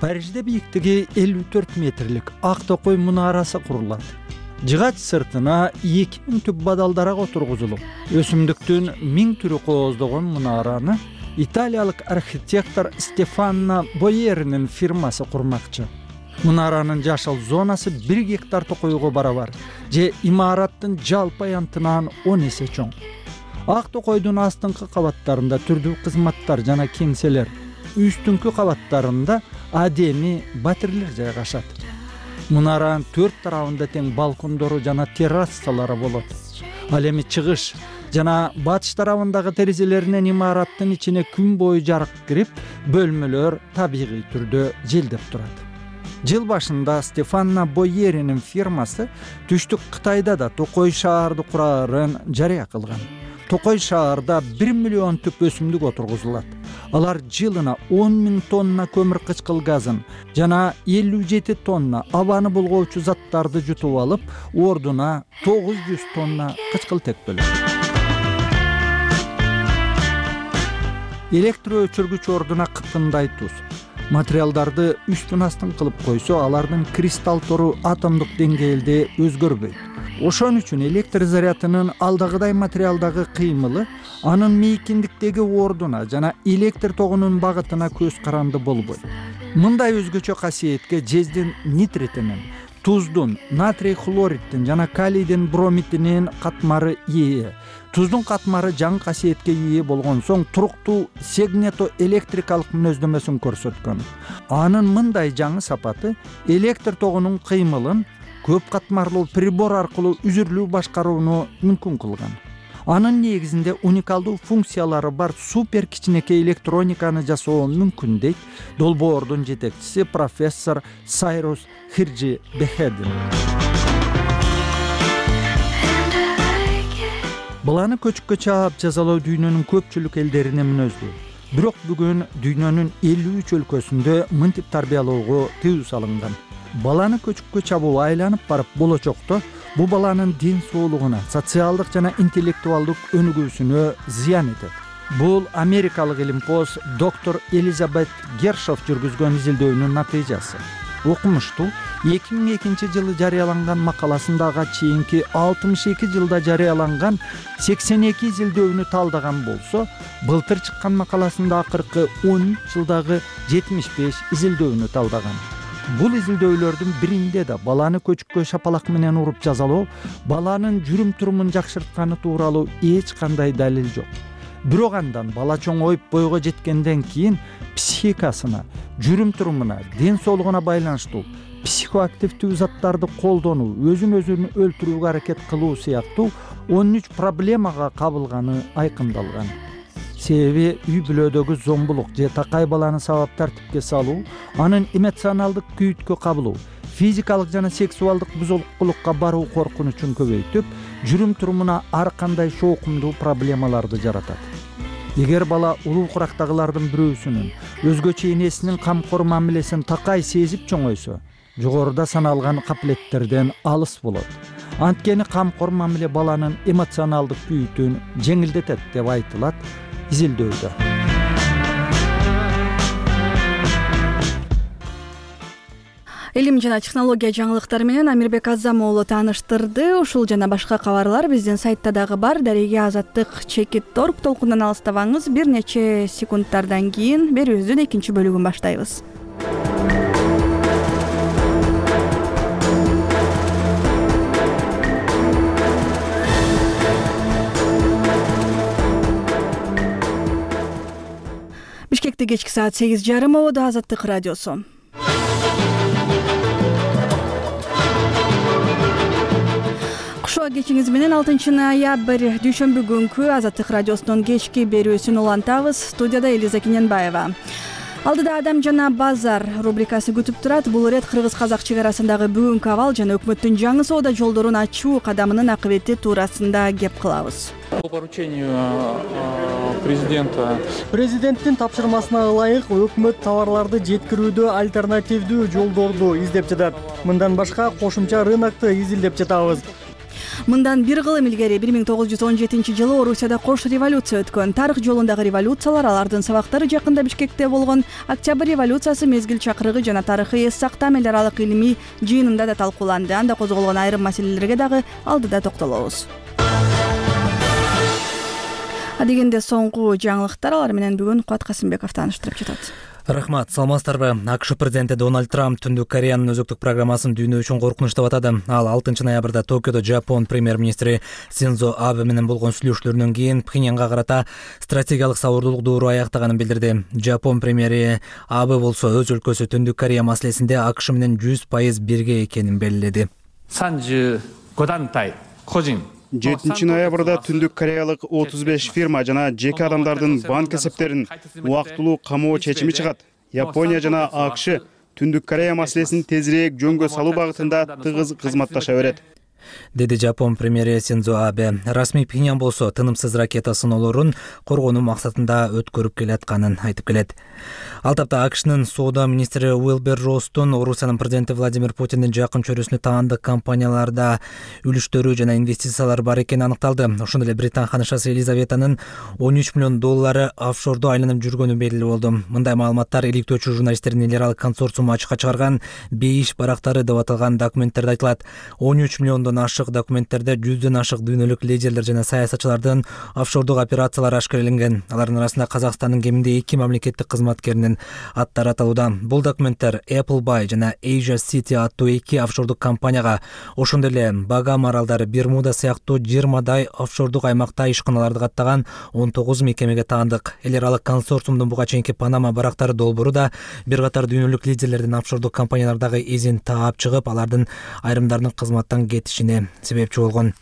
Парижде бийиктиги элүү төрт метрлик ак токой мунарасы курулат. Жыгач сыртына эки миң түп бадалдарак отургузулуп, өсүмдүктүн миң түрү кооздогон мунараны италиялык архитектор Стефано Боеринин фирмасы курмакчы. Мунаранын жашыл зонасы бир гектар токойго барабар, же имараттын жалпы аянтынан он эсе чоң. Ак токойдун астыңкы кабаттарында түрдүү кызматтар жана кеңселер, үстүңкү кабаттарында адеми батирлер жайгашат. Мунаранын төрт тарабында тең балкондору жана террасалары болот. Ал эми чыгыш жана батыш тарабындагы терезелеринен имараттын ичине күн бою жарык кирип, бөлмөлөр табигый түрдө желдеп турат. Жыл башында Стефано Боеринин фирмасы түштүк Кытайда да токой шаарды курарын жарыя кылган. Токой шаарда бир миллион түп өсүмдүк отургузулат. Алар жылына он миң тонна көмүр кычкыл газын жана элүү жети тонна абаны булгоочу заттарды жутуп алып, ордуна тогуз жүз тонна кычкыл тек бөлөт. Электр өчүргүч ордуна кыткындай туз. Материалдарды үстүн астын кылып койсо, алардын кристалл тору атомдук деңгээлде өзгөрбөйт. Ошон үчүн электр зарядынын алдагыдай материалдагы кыймылы анын мейкиндиктеги ордуна жана электр тогунун багытына көз каранды болбойт. Мындай өзгөчө касиетке жездин нитритинин, туздун, натрий хлориддин жана калийдин бромидинин катмары ээ. Туздун катмары жаңы касиетке ээ болгон соң туруктуу сегнетоэлектрикалык мүнөздөмөсүн көрсөткөн. Анын мындай жаңы сапаты электр тогунун кыймылын көп катмарлуу прибор аркылуу үзүрлүү башкарууну мүмкүн кылган. Анын негизинде уникалдуу функциялары бар супер кичинекей электрониканы жасоо мүмкүн дейт долбоордун жетекчиси профессор Сайрус Хирджи Бехедин. Баланы көчүккө чаап жазалоо дүйнөнүн көпчүлүк элдерине мүнөздүү. Бирок бүгүн дүйнөнүн элүү үч өлкөсүндө мынтип тарбиялоого тыюу салынган. Баланы көчүккө чабуу айланып барып болочокто бул баланын ден соолугуна, социалдык жана интеллектуалдык өнүгүүсүнө зыян этет. Бул америкалык илимпоз доктор Элизабет Гершов жүргүзгөн изилдөөнүн натыйжасы. Окумуштуу эки миң экинчи жылы жарыяланган макаласындага чейинки алтымыш эки жылда жарыяланган сексен эки изилдөөнү талдаган болсо, былтыр чыккан макаласында акыркы он үч жылдагы жетимиш беш изилдөөнү талдаган. Бул изилдөөлөрдүн биринде да баланы көчүккө шапалак менен уруп жазалоо баланын жүрүм-турумун жакшыртканы тууралуу эч кандай далил жок. Бирок андан бала чоңоюп бойго жеткенден кийин психикасына, жүрүм-турумуна, ден соолугуна байланыштуу психоактивдүү заттарды колдонуу, өзүн өзүн өлтүрүүгө аракет кылуу сыяктуу он үч проблемага кабылганы айкындалган. себеби үй бүлөдөгү зомбулук же такай баланы сабап тартипке салуу, анын эмоционалдык күйүткө кабылуу, физикалык жана сексуалдык бузулукка баруу коркунучун көбөйтүп, жүрүм-турумуна ар кандай шоокумдуу проблемаларды жаратат. Эгер бала улуу курактагылардын бирөөсүнүн өзгөчө энесинин камкор мамилесин такай сезип чоңойсо, жогоруда саналган капилеттерден алыс болот. Анткени камкор мамиле баланын эмоционалдык күйүтүн жеңилдетет деп айтылат изилдөөдө. Илим жана технология жаңылыктары менен Амирбек Азамоğlu тааныштырды. Ушул жана башка кабарлар биздин сайтта дагы бар. Дареге Азаттык чекит торг толкундан алыстабаңыз. Бир нече секундтардан кийин берүүбүздүн экинчи бөлүгүн баштайбыз. Бишкекте кечки саат сегиз жарым ободо Азаттык радиосу. Кушуа кечиңиз менен алтынчы ноябрь дүйшөмбү күнкү Азаттык радиосунун кечки берүүсүн улантабыз. Студияда Элиза Кененбаева. Алдыда адам жана базар рубрикасы күтүп турат. Бул ирет кыргыз-казак чек арасындагы бүгүнкү абал жана өкмөттүн жаңы соода жолдорун ачуу кадамынын акыбети туурасында кеп кылабыз. По поручению президента президенттин тапшырмасына ылайык өкмөт товарларды жеткирүүдө альтернативдүү жолдорду издеп жатат. Мындан башка кошумча рынокты изилдеп жатабыз. Мындан бир кылым илгери бир миң тогуз жүз он жетинчи жылы Орусияда кош революция өткөн. Тарых жолундагы революциялар, алардын сабактары жакында Бишкекте болгон Октябрь революциясы, мезгил чакырыгы жана тарыхый эс сактам эл аралык илимий жыйынында да талкууланды. Анда козголгон айрым маселелерге дагы алдыда токтолобуз. Адегенде соңку жаңылыктар, алар менен бүгүн Кубат Касымбеков тааныштырып жатат. Рахмат, саламатсыздарбы? АКШ президенти Дональд Трамп Түндүк Кореянын өзөктүк программасын дүйнө үчүн коркунуч деп атады. Ал алтынчы ноябрда Токиодо Жапон премьер-министри Синдзо Абе менен болгон сүйлөшүүлөрүнөн кийин Пхеньянга карата стратегиялык сабырдуулук доору аяктаганын билдирди. Жапон премьери Абе болсо өз өлкөсү Түндүк Корея маселесинде АКШ менен жүз пайыз бирге экенин белгиледи. жетинчи ноябрда Түндүк Кореялык отуз беш фирма жана жеке адамдардын банк эсептерин убактылуу камоо чечими чыгат. Япония жана АКШ Түндүк Корея маселесин тезирээк жөнгө салуу багытында тыгыз кызматташа берет, деди Жапон премьери Синдзо Абе. Расмий Пхеньян болсо тынымсыз ракета сыноолорун коргонуу максатында өткөрүп келатканын айтып келет. Ал тапта АКШнын соода министри Уилбер Росстун Орусиянын президенти Владимир Путиндин жакын чөйрөсүнө таандык компанияларда үлүштөрү жана инвестициялар бар экени аныкталды. Ошондой эле Британ ханышасы Елизаветанын он үч миллион доллары офшордо айланып жүргөнү белгилүү болду. Мындай маалыматтар иликтөөчү журналисттердин эл аралык консорциуму ачыкка чыгарган бейиш барактары деп аталган документтерде айтылат. он үч миллиондон ашык документтерде жүздөн ашык дүйнөлүк лидерлер жана саясатчылардын офшордук операциялары ашкареленген. Алардын арасында Казакстандын кеминде эки мамлекеттик кызматкеринин аттары аталууда. Бул документтер Appleby жана Asia City аттуу эки офшордук компанияга, ошондой эле Багам аралдары, Бермуда сыяктуу жыйырмадай офшордук аймакта ишканаларды каттаган он тогуз мекемеге таандык. Эл аралык консорциумдун буга чейинки Панама барактары долбоору да бир катар дүйнөлүк лидерлердин офшордук компаниялардагы изин таап чыгып, алардын айрымдарынын кызматтан кетишине себепчи болгон.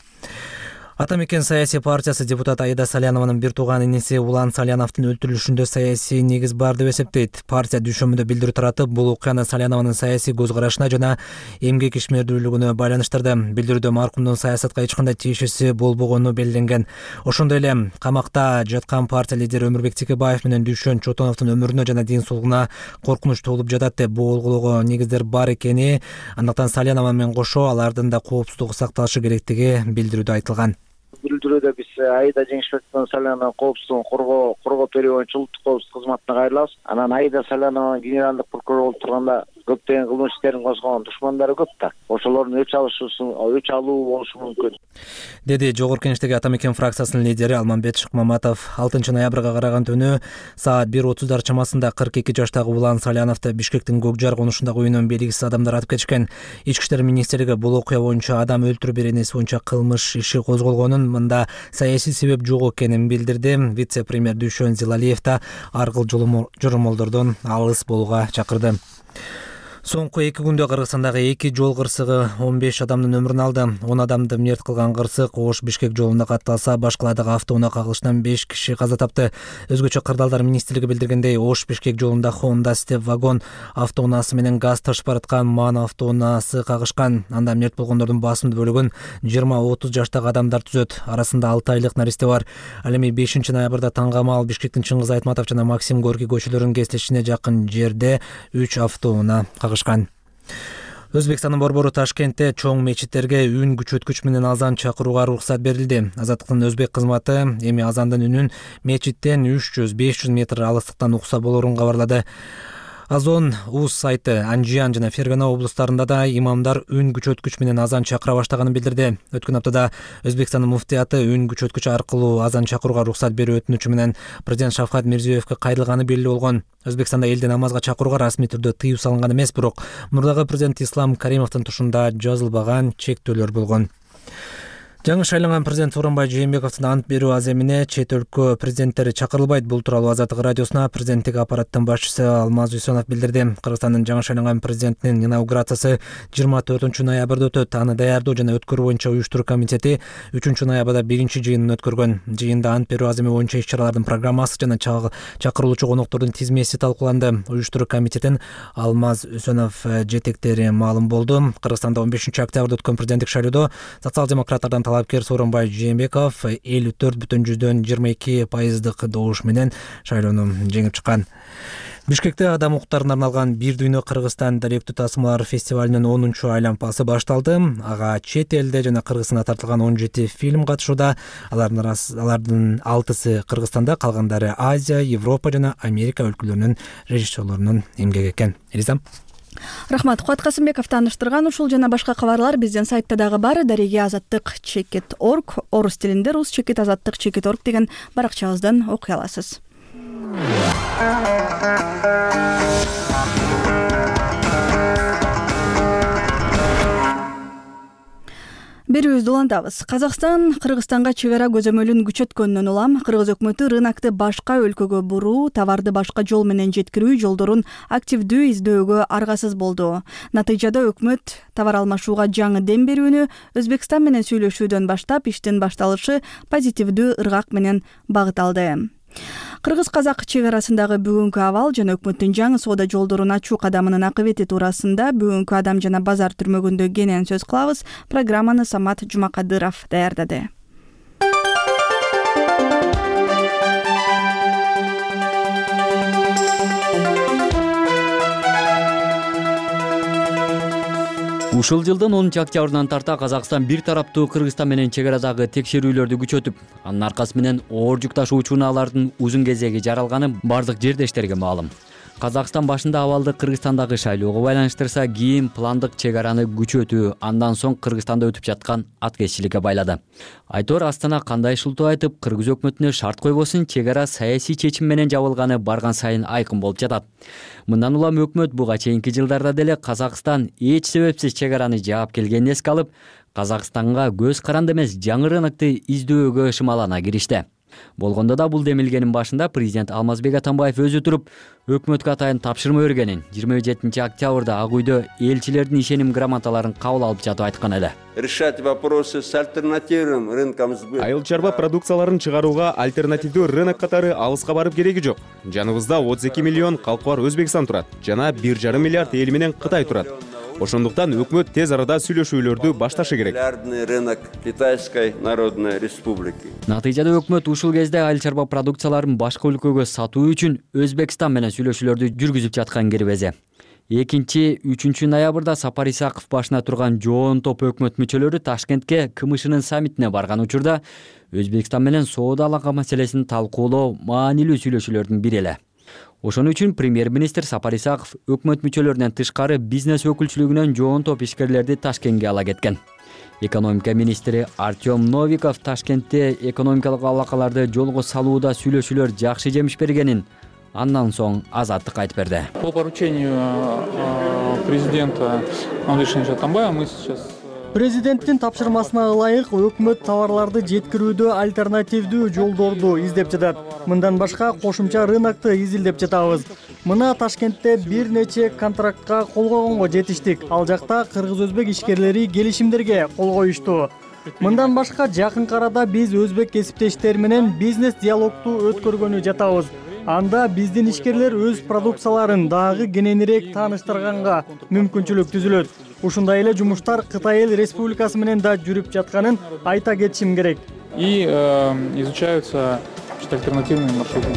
Атамекен саясий партиясы депутат Аида Салянованын бир тууган иниси Улан Саляновдун өлтүрүлүшүндө саясий негиз бар деп эсептейт. Партия дүйшөмбүдө билдирүү таратып, бул окуяны Салянованын саясий көз карашына жана эмгек ишмердүүлүгүнө байланыштырды. Билдирүүдө маркумдун саясатка эч кандай тиешеси болбогону белгиленген. Ошондой эле камакта жаткан партия лидери Өмүрбек Текебаев менен дүйшөн Чотоновдун өмүрүнө жана ден соолугуна коркунуч туулуп жатат деп болгоого негиздер бар экени, андыктан Салянова менен кошо алардын да коопсуздугу сакталышы керектиги билдирүүдө айтылган. Билдирүүдө биз Аида Жеңишбековдун Салянованын коопсуздугун коргоо коргоп берүү боюнча улуттук коопсуздук кызматына кайрылабыз. Анан Аида Салянованын генералдык прокурор болуп турганда көптөгөн кылмыш иштерин козгогон душмандары көп да. Ошолордун өч алышуусун, өч алуу болушу мүмкүн, деди Жогорку Кеңештеги Атамекен фракциясынын лидери Алмамбет Шыкмаматов. алтынчы ноябрга караган түнү саат бир отуздар чамасында кырк эки жаштагы Улан Саляновду Бишкектин Көкжар конушундагы үйүнөн белгисиз адамдар атып кетишкен. Ички иштер министрлиги бул окуя боюнча адам өлтүрүү беренеси боюнча кылмыш иши козголгонун, мында саясий себеп жок экенин билдирди. Вице-премьер Дүйшөн Зилалиев да ар кыл журумолдордон алыс болууга чакырды. Соңку эки күндө Кыргызстандагы эки жол кырсыгы он беш адамдын өмүрүн алды. он адамды мерт кылган кырсык Ош-Бишкек жолунда катталса, башкаладагы автоунаа кагылышынан беш киши каза тапты. Өзгөчө Кырдаалдар министрлиги билдиргендей, Ош-Бишкек жолунда Honda Step вагон автоунаасы менен газ ташып бараткан МАН автоунаасы кагышкан. Анда мерт болгондордун басымдуу бөлүгүн жыйырма отуз жаштагы адамдар түзөт. Арасында алты айлык наристе бар. Ал эми бешинчи ноябрда таңгамал Бишкектин Чыңгыз Айтматов жана Максим Горький көчөлөрүнүн кесилишине жакын жерде үч автоунаа кагышкан. Өзбекстандын борбору Ташкентте чоң мечиттерге үн күчөткүч менен азан чакырууга уруксат берилди. Азаттыктын өзбек кызматы эми азандын үнүн мечиттен үч жүз беш жүз метр алыстыктан укса болорун кабарлады. Азон Уз сайты Анжиян жана Фергана облустарында да имамдар үн күчөткүч менен азан чакыра баштаганын билдирди. Өткөн аптада Өзбекстандын муфтияты үн күчөткүч аркылуу азан чакырууга уруксат берүү өтүнүчү менен президент Шавкат Мирзиёевке кайрылганы белгилүү болгон. Өзбекстанда элде намазга чакырууга расмий түрдө тыюу салынган эмес, бирок мурдагы президент Ислам Каримовдун тушунда жазылбаган чектөөлөр болгон. Жаңы шайланган президент Сооронбай Жээнбековдун ант берүү аземине чет өлкө президенттери чакырылбайт. Бул тууралуу Азаттык радиосуна президенттик аппараттын башчысы Алмаз Үсөнов билдирди. Кыргызстандын жаңы шайланган президентинин инаугурациясы жыйырма төртүнчү ноябрда өтөт. Аны даярдоо жана өткөрүү боюнча уюштуруу комитети үчүнчү ноябрда биринчи жыйынын өткөргөн. Жыйында ант берүү аземи боюнча иш-чаралардын программасы жана чакырылуучу коноктордун тизмеси талкууланды. Уюштуруу комитетин Алмаз Үсөнов жетектери маалым болду. Кыргызстанда он бешинчи октябрда өткөн президенттик шайлоодо социал-демократтардан талапкер Сооронбай Жээнбеков элүү төрт бүтүн жүздөн жыйырма эки пайыздык добуш менен шайлоону жеңип чыккан. Бишкекте адам укуктарына арналган Бир дүйнө Кыргызстан даректүү тасмалар фестивалынын онунчу айлампасы башталды. Ага чет элде жана Кыргызстанда тартылган он жети фильм катышууда. Алардын алтысы Кыргызстанда, калгандары Азия, Европа жана Америка өлкөлөрүнүн режиссерлорунун эмгеги экен. Элизам. Рахмат. Кубат Касымбеков тааныштырган ушул жана башка кабарлар биздин сайтта дагы бар. Дареги азаттык чекит точка орг, орус тилинде рус чекит азаттык чекит точка орг деген баракчабыздан окуй аласыз. Берүүбүздү улантабыз. Казакстан Кыргызстанга чек ара көзөмөлүн күчөткөндөн улам кыргыз өкмөтү рынокты башка өлкөгө буруу, товарды башка жол менен жеткирүү жолдорун активдүү издөөгө аргасыз болду. Натыйжада өкмөт товар алмашууга жаңы дем берүүнү, Өзбекстан менен сүйлөшүүдөн баштап иштин башталышы позитивдүү ыргак менен багыт алды. Кыргыз-казак чек арасындагы бүгүнкү абал жана өкмөттүн жаңы соода жолдорун ачуу кадамынын акыбети туурасында бүгүнкү Адам жана базар түрмөгүндө кенен сөз кылабыз. Программаны Самат Жумакадыров даярдады. Ушул жылдын онунчу октябрынан тарта Казакстан бир тараптуу Кыргызстан менен чек арадагы текшерүүлөрдү күчөтүп, анын аркасы менен оор жүк ташуучу унаалардын узун кезеги жаралганы бардык жердештерге маалым. Казакстан башында абалды Кыргызстандагы шайлоого байланыштырса, кийин пландык чек араны күчөтүү, андан соң Кыргызстанда өтүп жаткан аткезчиликке байлады. Айтор Астана кандай шылтоо айтып, Кыргыз өкмөтүнө шарт койбосун, чек ара саясий чечим менен жабылганы барган сайын айкын болуп жатат. Мындан улам өкмөт буга чейинки жылдарда деле Казакстан эч себепсиз чек араны жаап келгенин эске алып, Казакстанга көз каранды эмес жаңы рынокты издөөгө шымалана киришти. Болгондо да бул демилгенин башында президент Алмазбек Атамбаев өзү туруп, өкмөткө атайын тапшырма бергенин жыйырма жетинчи октябрда Ак үйдө элчилердин ишеним грамоталарын кабыл алып жатып айткан эле. Решать вопросы с альтернативным рынком сбыта. Айыл чарба продукцияларын чыгарууга альтернативдүү рынок катары алыска барып кереги жок. Жаныбызда отуз эки миллион калкы бар Өзбекстан турат, жана бир жарым миллиард эл менен Кытай турат. Ошондуктан өкмөт тез арада сүйлөшүүлөрдү башташы керек. Рынок Китайской Народной Республики. Натыйжада өкмөт ушул кезде айыл чарба продукцияларын башка өлкөгө сатуу үчүн Өзбекстан менен сүйлөшүүлөрдү жүргүзүп жаткан кирбезе. экинчи үчүнчү ноябрда Сапар Исаков башына турган жоон топ өкмөт мүчөлөрү Ташкентке КМШнын саммитине барган учурда Өзбекстан менен соода алака маселесин талкуулоо маанилүү сүйлөшүүлөрдүн бири эле. Ошон үчүн премьер-министр Сапар Исаков өкмөт мүчөлөрүнөн тышкары бизнес өкүлчүлүгүнөн жоон топ ишкерлерди Ташкентке ала кеткен. Экономика министри Артем Новиков Ташкентте экономикалык алакаларды жолго салууда сүйлөшүүлөр жакшы жемиш бергенин андан соң Азаттык айтып берди. По поручению президента Алмазбека Атамбаева мы сейчас Президенттин тапшырмасына ылайык өкмөт товарларды жеткирүүдө альтернативдүү жолдорду издеп жатат. Мындан башка кошумча рынокты изилдеп жатабыз. Мына Ташкентте бир нече контрактка кол койгонго жетиштик. Ал жакта кыргыз-өзбек ишкерлери келишимдерге кол коюшту. Мындан башка жакынкы арада биз өзбек кесиптештер менен бизнес диалогду өткөргөнү жатабыз. Анда биздин ишкерлер өз продукцияларын дагы кененирээк тааныштырганга мүмкүнчүлүк түзүлөт. Ушундай эле жумуштар Кытай Эл Республикасы менен да жүрүп жатканын айта кетишим керек. И изучаются альтернативные маршруты.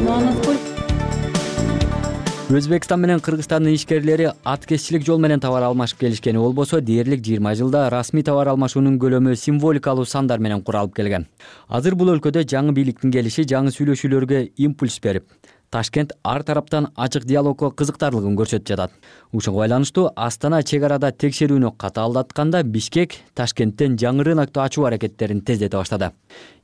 Өзбекстан менен Кыргызстандын ишкерлери аткезчилик жол менен товар алмашып келишкени болбосо, дээрлик жыйырма жылда расмий товар алмашуунун көлөмү символикалуу сандар менен куралып келген. Азыр бул өлкөдө жаңы бийликтин келиши жаңы сүйлөшүүлөргө импульс берип, Ташкент ар тараптан ачык диалогко кызыктарлыгын көрсөтүп жатат. Ушуга байланыштуу Астана чек арада текшерүүнү катаалдатканда Бишкек Ташкенттен жаңы рынокту ачуу аракеттерин тездете баштады.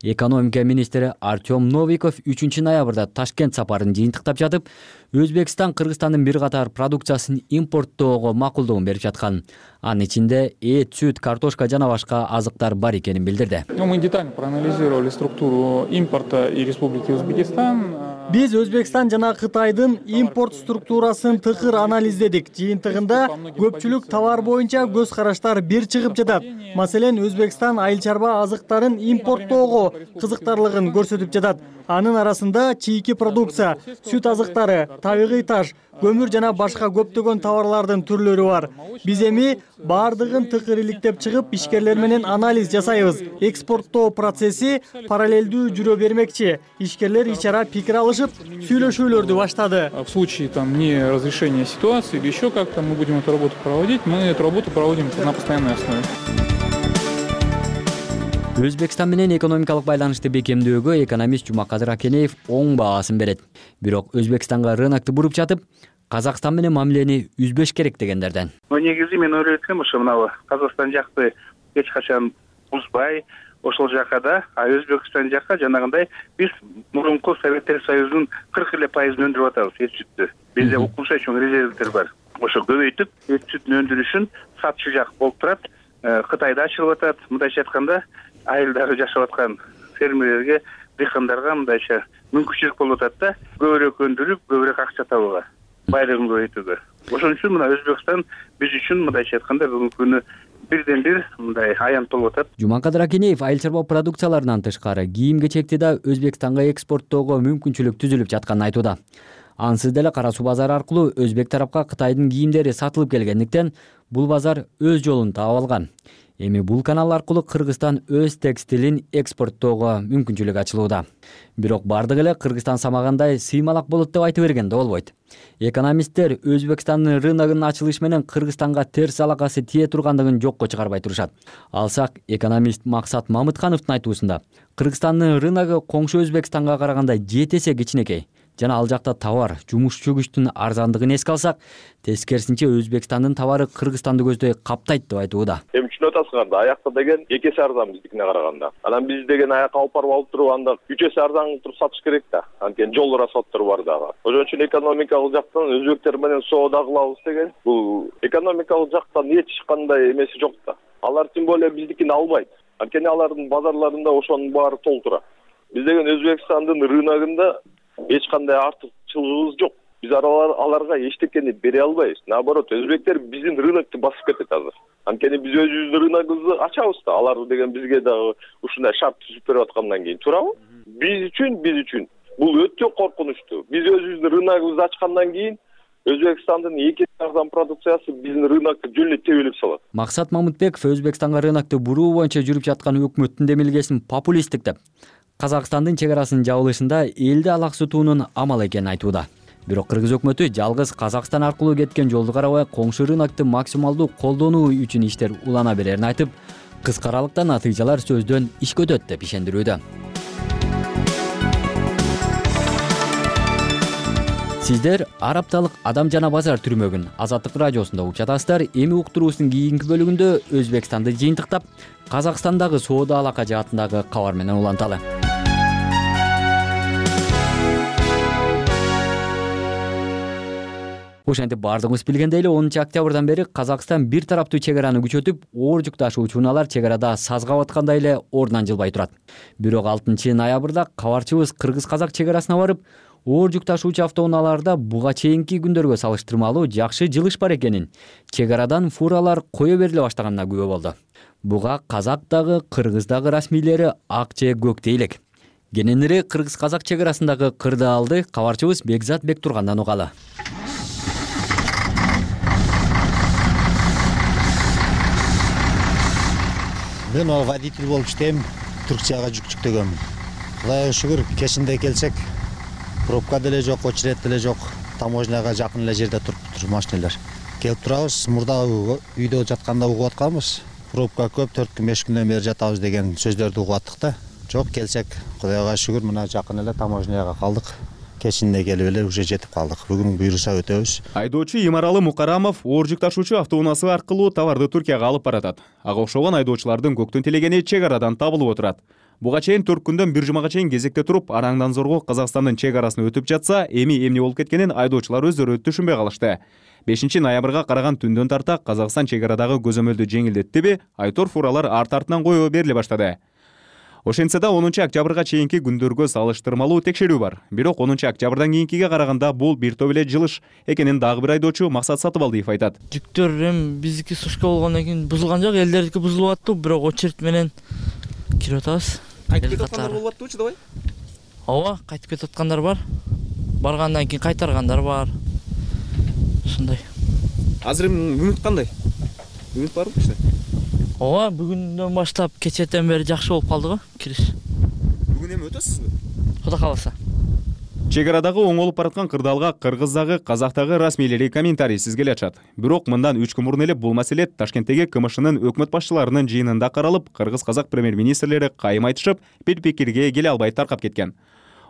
Экономика министри Артем Новиков үчүнчү ноябрда Ташкент сапарын жыйынтыктап жатып, Өзбекстан Кыргызстандын бир катар продукциясын импорттоого макулдугун берип жаткан. Анын ичинде эт, сүт, картошка жана башка азыктар бар экенин билдирди. Мы детально проанализировали структуру импорта и Республики Узбекистан. Биз Өзбекстан жана Кытайдын импорт структурасын тыкыр анализдедик. Жыйынтыгында көпчүлүк товар боюнча көз караштар бир чыгып жатат. Маселен, Өзбекстан айыл чарба азыктарын импорттоого кызыктарлыгын көрсөтүп жатат. Анын арасында чийки продукция, сүт азыктары, табигый таш, көмүр жана башка көптөгөн товарлардын түрлөрү бар. Биз эми бардыгын тыкыр иликтеп чыгып, ишкерлер менен анализ жасайбыз. Экспорттоо процесси параллелдүү жүрө бермекчи. Ишкерлер ич ара пикир алышып, сүйлөшүүлөрдү баштады. В случае там не разрешения ситуации или еще как-то мы будем эту работу проводить, мы эту работу проводим на постоянной основе. Өзбекстан менен экономикалык байланышты бекемдөөгө экономист Жумакадыр Акенеев оң баасын берет. Бирок Өзбекстанга рынокту буруп жатып, Казакстан менен мамилени үзбөш керек дегендерден. Негизи мен ойлойт элем, ошо мына Казакстан жакты эч качан бузбай, ошол жака да, а Өзбекстан жака жанагындай биз мурунку Советтер Союзунун кырк эле пайызын өндүрүп атабыз эт сүттү. Бизде укмуша чоң резервдер бар. Ошо көбөйтүп, эт сүттүн өндүрүшүн сатчы жак болуп турат. Кытайда ачылып атат. Мындайча айтканда, айылдары жашап аткан фермерлерге, дыйкандарга мындайча мүмкүнчүлүк болуп атат да, көбүрөөк өндүрүп, көбүрөөк акча табууга, байлыгын көбөйтүүгө. Ошон үчүн мына Өзбекстан биз үчүн мындайча айтканда бүгүнкү күнү бирден бир мындай аянт болуп атат. Жумакадыр Акенеев айыл чарба продукцияларынан тышкары кийим-кечекти да Өзбекстанга экспорттоого мүмкүнчүлүк түзүлүп жатканын айтууда. Ансыз деле Кара суу базары аркылуу Өзбек тарапка Кытайдын кийимдери сатылып келгендиктен бул базар өз жолун таап алган. Эми бул канал аркылуу Кыргызстан өз текстилин экспорттоого мүмкүнчүлүк ачылууда. Бирок бардыгы эле Кыргызстан самагандай сыймалак болот деп айтып бергенде болбойт. Экономисттер Өзбекстандын рыногунун ачылышы менен Кыргызстанга терс алакасы тие тургандыгын жокко чыгарбай турушат. Алсак, экономист Максат Мамыткановдун айтуусунда, Кыргызстандын рыногу коңшу Өзбекстанга караганда жети эсе кичинекей. Жана ал жакта товар, жумушчу күчтүн арзандыгын эске алсак, тескерисинче Өзбекстандын товары Кыргызстанды көздөй каптайт деп айтууда. Эми түшүнүп атасыңар да, аякта деген эки эсе арзан биздикине караганда. Анан биз деген аяка алып барып алып туруп анда үч эсе арзан туруп сатыш керек да. Анткени жол расходтору бар дагы. Ошон үчүн экономикалык жактан өзбектер менен соода кылабыз деген бул экономикалык жактан эч кандай эмеси жок да. Алар тем более биздикини албайт. Анткени алардын базарларында ошонун баары толтура. Биз деген Өзбекстандын рыногунда эч кандай артыкчылыгыбыз жок. Биз аларга эчтекени бере албайбыз. Наоборот, өзбектер биздин рынокту басып кетет азыр. Анткени биз өзүбүздүн рыногубузду ачабыз да. Алар деген бизге дагы ушундай шарт түзүп берип аткандан кийин туурабы? Биз үчүн, биз үчүн бул өтө коркунучтуу. Биз өзүбүздүн рыногубузду ачкандан кийин Өзбекстандын эки арзан продукциясы биздин рынокту жөн эле тебелеп салат. Максат Мамытбеков Өзбекстанга рынокту буруу боюнча жүрүп жаткан өкмөттүн демилгесин популисттик деп, Казакстандын чек арасынын жабылышында элди алаксытуунун амалы экенин айтууда. Бирок Кыргыз өкмөтү жалгыз Казакстан аркылуу кеткен жолду карабай, коңшу рынокту максималдуу колдонуу үчүн иштер улана берерин айтып, кыска аралыкта натыйжалар сөздөн ишке өтөт деп ишендирүүдө. Сиздер ар апталык Адам жана базар түрмөгүн Азаттык радиосунда угуп жатасыздар. Эми уктуруубуздун кийинки бөлүгүндө Өзбекстанды жыйынтыктап, Казакстандагы соода алака жаатындагы кабар менен уланталы. Ошентип бардыгыбыз билгендей эле онунчу октябрдан бери Казакстан бир тараптуу чек араны күчөтүп, оор жүк ташуучу унаалар чек арада сазга баткандай эле ордунан жылбай турат. Бирок алтынчы ноябрда кабарчыбыз кыргыз-казак чек арасына барып, оор жүк ташуучу автоунааларда буга чейинки күндөргө салыштырмалуу жакшы жылыш бар экенин, чек арадан фуралар кое бериле баштаганына күбө болду. Буга казак дагы, кыргыз дагы расмийлери ак же көктөй элек. Кененирээк кыргыз-казак чек арасындагы кырдаалды кабарчыбыз Бекзат Бектургандан угалы. Мен ал водитель болуп иштейм, Түркияга жүк жүктөгөнмүн. Кудайга шүгүр, кечинде келсек, пробка деле жок, очеред деле жок. Таможняга жакын эле жерде туруп машиналар. Келип турабыз, мурда үйдө жатканда угуп атканбыз. Пробка көп, төрт күн беш күндөн бери жатабыз деген сөздөрдү угуп аттык да. Жок, келсек, кудайга шүгүр, мына жакын эле таможняга калдык. Кечинде келип эле уже жетип калдык. Бүгүн буйруса өтөбүз. Айдоочу Имаралы Мукарамов оор жүк ташуучу автоунаасы аркылуу товарды Түркияга алып баратат. Ага окшогон айдоочулардын көктөн тилегени чек арадан табылып отурат. Буга чейин төрт күндөн бир жумага чейин кезекте туруп, араңдан зорго Казакстандын чек арасын өтүп жатса, эми эмне болуп кеткенин айдоочулар өздөрү түшүнбөй калышты. бешинчи ноябрга караган түндөн тарта Казакстан чек арадагы көзөмөлдү жеңилдеттиби, айтор фуралар арт артынан коё бериле баштады. Ошентсе да онунчу октябрга чейинки күндөргө салыштырмалуу текшерүү бар. Бирок онунчу октябрдан кийинкиге караганда бул бир топ эле жылыш экенин дагы бир айдоочу Максат Сатыбалдиев айтат. Жүктөр эми биздики сушка болгондон кийин бузулган жок, элдердики бузулуп аттı, бирок очередь менен кирип атабыз. Кайтып кетип аткандар болуп аттыбы, чыдабай? Ооба, кайтып кетип аткандар бар. Баргандан кийин кайтаргандар бар. Ушундай. Азыр үмүт кандай? Үмүт барбы иште? Ооба, бүгүндөн баштап кечетен бери жакшы болуп калды го, кириш. Бүгүн эми өтөсүзбү? Кудай кааласа. Чек арадагы оңолуп бараткан кырдаалга кыргыздагы, казактагы расмийлери комментарийсиз келе атышат. Бирок мындан үч күн мурун эле бул маселе Ташкенттеги КМШнын өкмөт башчыларынын жыйынында каралып, кыргыз-казак премьер-министрлери кайым айтышып, бир пикирге келе албай таркап кеткен.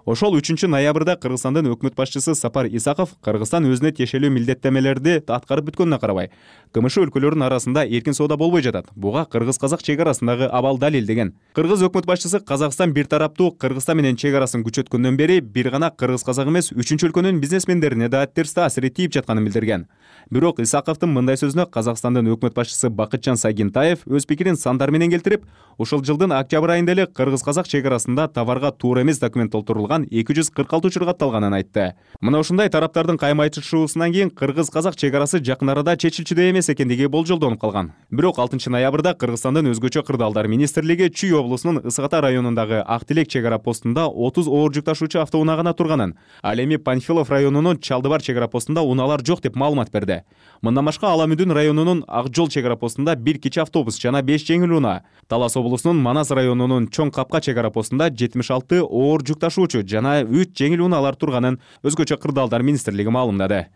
Ошол үчүнчү ноябрда Кыргызстандын өкмөт башчысы Сапар Исаков Кыргызстан өзүнө тиешелүү милдеттемелерди аткарып бүткөнүнө карабай, КМШ өлкөлөрүнүн арасында эркин соода болбой жатат. Буга кыргыз-казак чек арасындагы абал далилдеген. Кыргыз өкмөт башчысы Казакстан бир тараптуу Кыргызстан менен чек арасын күчөткөндөн бери бир гана кыргыз-казак эмес, үчүнчү өлкөнүн бизнесмендерине да терс таасири тийип жатканын билдирген. Бирок Исаковдун мындай сөзүнө Казакстандын өкмөт башчысы Бакытжан Сагинтаев өз пикирин сандар менен келтирип, ушул жылдын октябрь айында эле кыргыз-казак чек арасында товарга туура эмес документ толтурулган эки жүз кырк алты учур катталганын айтты. Мына ушундай тараптардын кайым айтышуусунан кийин кыргыз-казак чек арасы жакын арада чечилчүдөй эмес экендиги болжолдонуп калган. Бирок алтынчы ноябрда Кыргызстандын өзгөчө кырдаалдар министрлиги Чүй облусунун Ысык Ата районундагы Ак Тилек чек ара постунда отуз оор жүк ташуучу автоунаа гана турганын, ал эми Панфилов районунун Чалдыбар чек ара постунда унаалар жок деп маалымат берди. Мындан башка Аламүдүн районунун Ак Жол чек ара постунда бир кичи автобус жана беш жеңил унаа, Талас облусунун Манас районунун Чоң Капка чек ара постунда жетимиш алты оор жүк ташуучу жана үч жеңил унаалар турганын өзгөчө кырдаалдар министрлиги маалымдады.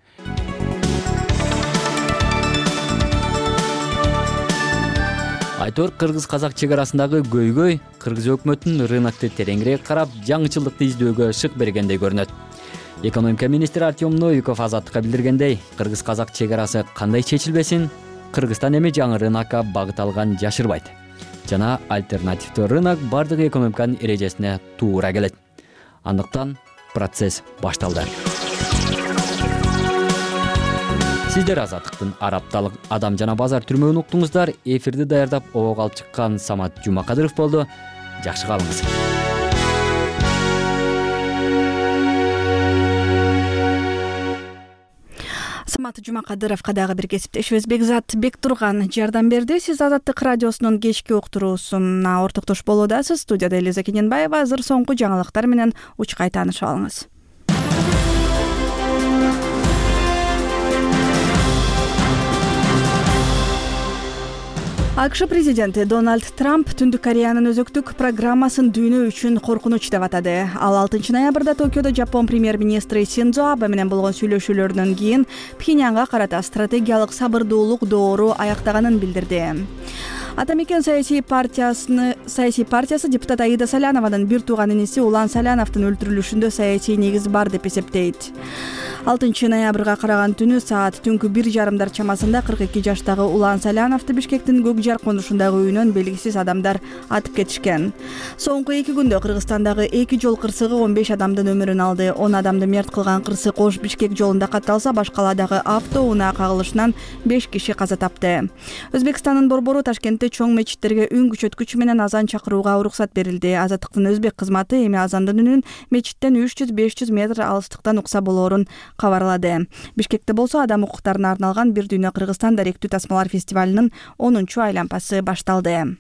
Айтор кыргыз-казак чек арасындагы көйгөй кыргыз өкмөтүнүн рынокты тереңирээк карап, жаңычылыкты издөөгө шык бергендей көрүнөт. Экономика министри Артем Новиков Азаттыкка билдиргендей, кыргыз-казак чек арасы кандай чечилбесин, Кыргызстан эми жаңы рынокко багыт алган жашырбайт. Жана альтернативдүү рынок бардык экономиканын эрежесине туура келет. Андыктан процесс башталды. Сиздер Азаттыктын арапталык адам жана базар түрмөгүн уктуңуздар. Эфирди даярдап обого алып чыккан Самат Жумакадыров болду. Жакшы калыңыз. Самат Жумакадыровго дагы бир кесиптешибиз Бекзат Бектурган жардам берди. Сиз Азаттык радиосунун кечки уктуруусуна ортоктош болуудасыз. Студияда Элиза Кененбаева. Азыр соңку жаңылыктар менен учкай таанышып алыңыз. АКШ президенти Дональд Трамп Түндүк Кореянын өзөктүк программасын дүйнө үчүн коркунуч деп атады. Ал алтынчы ноябрда Токиодо Жапон премьер-министри Синдзо Абе менен болгон сүйлөшүүлөрдөн кийин Пхеньянга карата стратегиялык сабырдуулук доору аяктаганын билдирди. Атамекен саясий партиясыны саясий партиясы депутат Аида Салянованын бир тууган иниси Улан Саляновдун өлтүрүлүшүндө саясий негиз бар деп эсептейт. алтынчы ноябрга караган түнү саат түнкү бир жарымдар чамасында кырк эки жаштагы Улан Саляновду Бишкектин Көк Жар конушундагы үйүнөн белгисиз адамдар атып кетишкен. Соңку эки күндө Кыргызстандагы эки жол кырсыгы он беш адамдын өмүрүн алды. он адамды мерт кылган кырсык Ош Бишкек жолунда катталса, башкаладагы автоунаа кагылышынан беш киши каза тапты. Өзбекстандын борбору Ташкентте чоң мечиттерге үн күчөткүч менен азан чакырууга уруксат берилди. Азаттыктын өзбек кызматы эми азандын үнүн мечиттен үч жүз беш жүз метр алыстыктан укса болоорун кабарлады. Бишкекте болсо адам укуктарына арналган Бир дүйнө Кыргызстан даректүү тасмалар фестивалынын онунчу айлампасы башталды.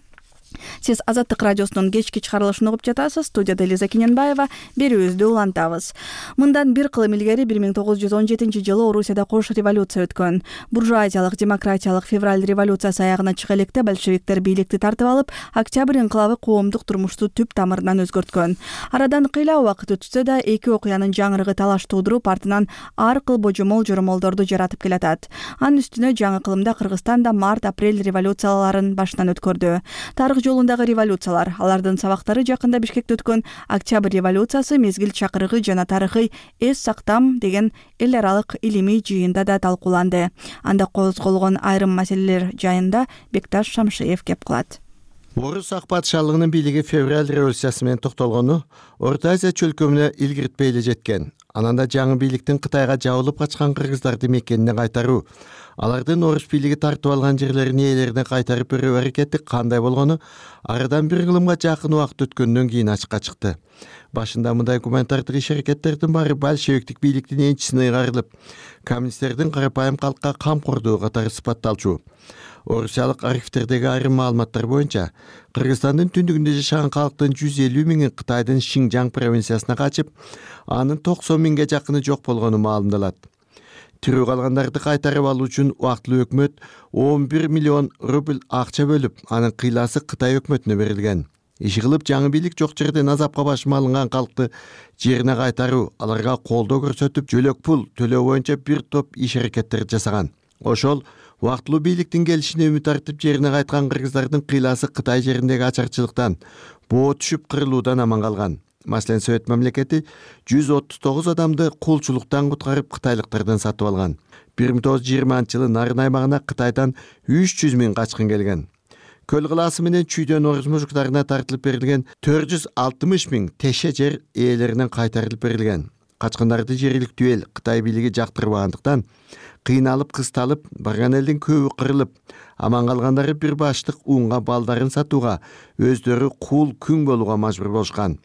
Сиз Азаттык радиосунун кечки чыгарылышын угуп жатасыз. Студияда Элиза Кененбаева, берүүбүздү улантабыз. Мындан бир кылым илгери бир миң тогуз жүз он жетинчи жылы Орусияда кош революция өткөн. Буржуазиялык демократиялык февраль революциясы аягына чыга электе большевиктер бийликти тартып алып, Октябрь инкылабы коомдук турмушту түп тамырынан өзгөрткөн. Арадан кыйла убакыт өтсө да, эки окуянын жаңырыгы талаш туудуруп, артынан ар кыл божомол жоромолдорду жаратып келатат. Анын үстүнө жаңы кылымда Кыргызстанда март-апрель революцияларын башынан өткөрдү. Тарых жолундагы революциялар, алардын сабактары жакында Бишкекте өткөн Октябрь революциясы, мезгил чакырыгы жана тарыхый эс сактам деген эл аралык илимий жыйында да талкууланды. Анда козголгон айрым маселелер жайында Бекташ Шамшиев кеп кылат. Орус ак патшалыгынын бийлиги февраль революциясы менен токтолгону Орто Азия чөлкөмүнө илгиртпей эле жеткен. Анан да жаңы бийликтин Кытайга жабылып качкан кыргыздарды мекенине кайтаруу, алардын орус бийлиги тартып алган жерлерин ээлерине кайтарып берүү аракети кандай болгону арадан бир кылымга жакын убакыт өткөндөн кийин ачыкка чыкты. Башында мындай гуманитардык иш аракеттердин баары большевиктик бийликтин энчисине ыйгарылып, коммунисттердин карапайым калкка камкордугу катары сыпатталчу. Орусиялык архивтердеги айрым маалыматтар боюнча, Кыргызстандын түндүгүндө жашаган калктын жүз элүү миңи Кытайдын Шинжаң провинциясына качып, анын токсон миңге жакыны жок болгону маалымдалат. Тирүү калгандарды кайтарып алуу үчүн убактылуу өкмөт он бир миллион рубль акча бөлүп, анын кыйласы Кытай өкмөтүнө берилген. Иши кылып жаңы бийлик жок жерден азапка башыма алынган калкты жерине кайтаруу, аларга колдоо көрсөтүп, жөлөк пул төлөө боюнча бир топ иш аракеттерди жасаган. Ошол убактылуу бийликтин келишине үмүт артып жерине кайткан кыргыздардын кыйласы Кытай жериндеги ачарчылыктан, боо түшүп кырылуудан аман калган. Маселен, Совет мамлекети жүз отуз тогуз адамды кулчулуктан куткарып кытайлыктардан сатып алган. бир миң тогуз жүз жыйырманчы жылы Нарын аймагына Кытайдан үч жүз миң качкын келген. Көл кылаасы менен чүйдөн орус мужуктарына тартылып берилген төрт жүз алтымыш миң теше жер ээлеринен кайтарылып берилген. Качкындарды жергиликтүү эл Кытай бийлиги жактырбагандыктан кыйналып кысталып, барган элдин көбү кырылып, аман калгандары бир баштык унга балдарын сатууга, өздөрү кул күң болууга мажбур болушкан.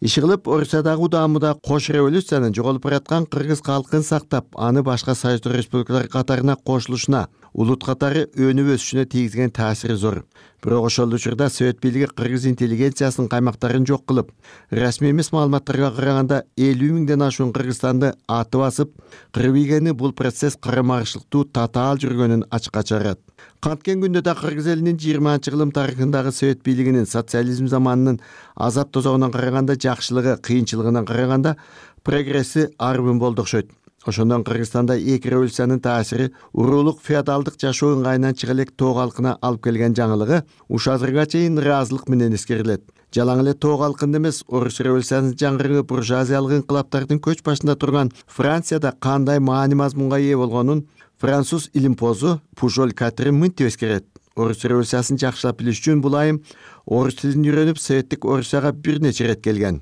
Иши кылып Орусиядагы удаамыда кош революциянын жоголуп бараткан кыргыз калкын сактап, аны башка союздук республикалар катарына кошулушуна, улут катары өнүп өсүшүнө тийгизген таасири зор. Бирок ошол учурда Совет бийлиги кыргыз интеллигенциясынын каймактарын жок кылып, расмий эмес маалыматтарга караганда элүү миңден ашуун кыргызстанды аты басып, кырып ийгени бул процесс карама-каршылыктуу татаал жүргөнүн ачыкка чыгарат. Канткен күндө да кыргыз элинин жыйырманчы кылым тарыхындагы Совет бийлигинин социализм заманынын азап тозогунан караганда жакшылыгы, кыйынчылыгынан караганда прогресси арбын болду окшойт. Ошондон Кыргызстанда эки революциянын таасири уруулук феодалдык жашоо ыңгайынан чыга элек тоо калкына алып келген жаңылыгы уш азырга чейин ыраазылык менен эскерилет. Жалаң эле тоо калкында эмес, орус революциянын жаңырыгы буржуазиялык инкылаптардын көч башында турган Францияда кандай маани мазмунга ээ болгонун француз илимпозу Пужоль Катри мынтип эскерет. Орус революциясын жакшылап билиш үчүн бул айым орус тилин үйрөнүп, Советтик Орусияга бир нече ирет келген.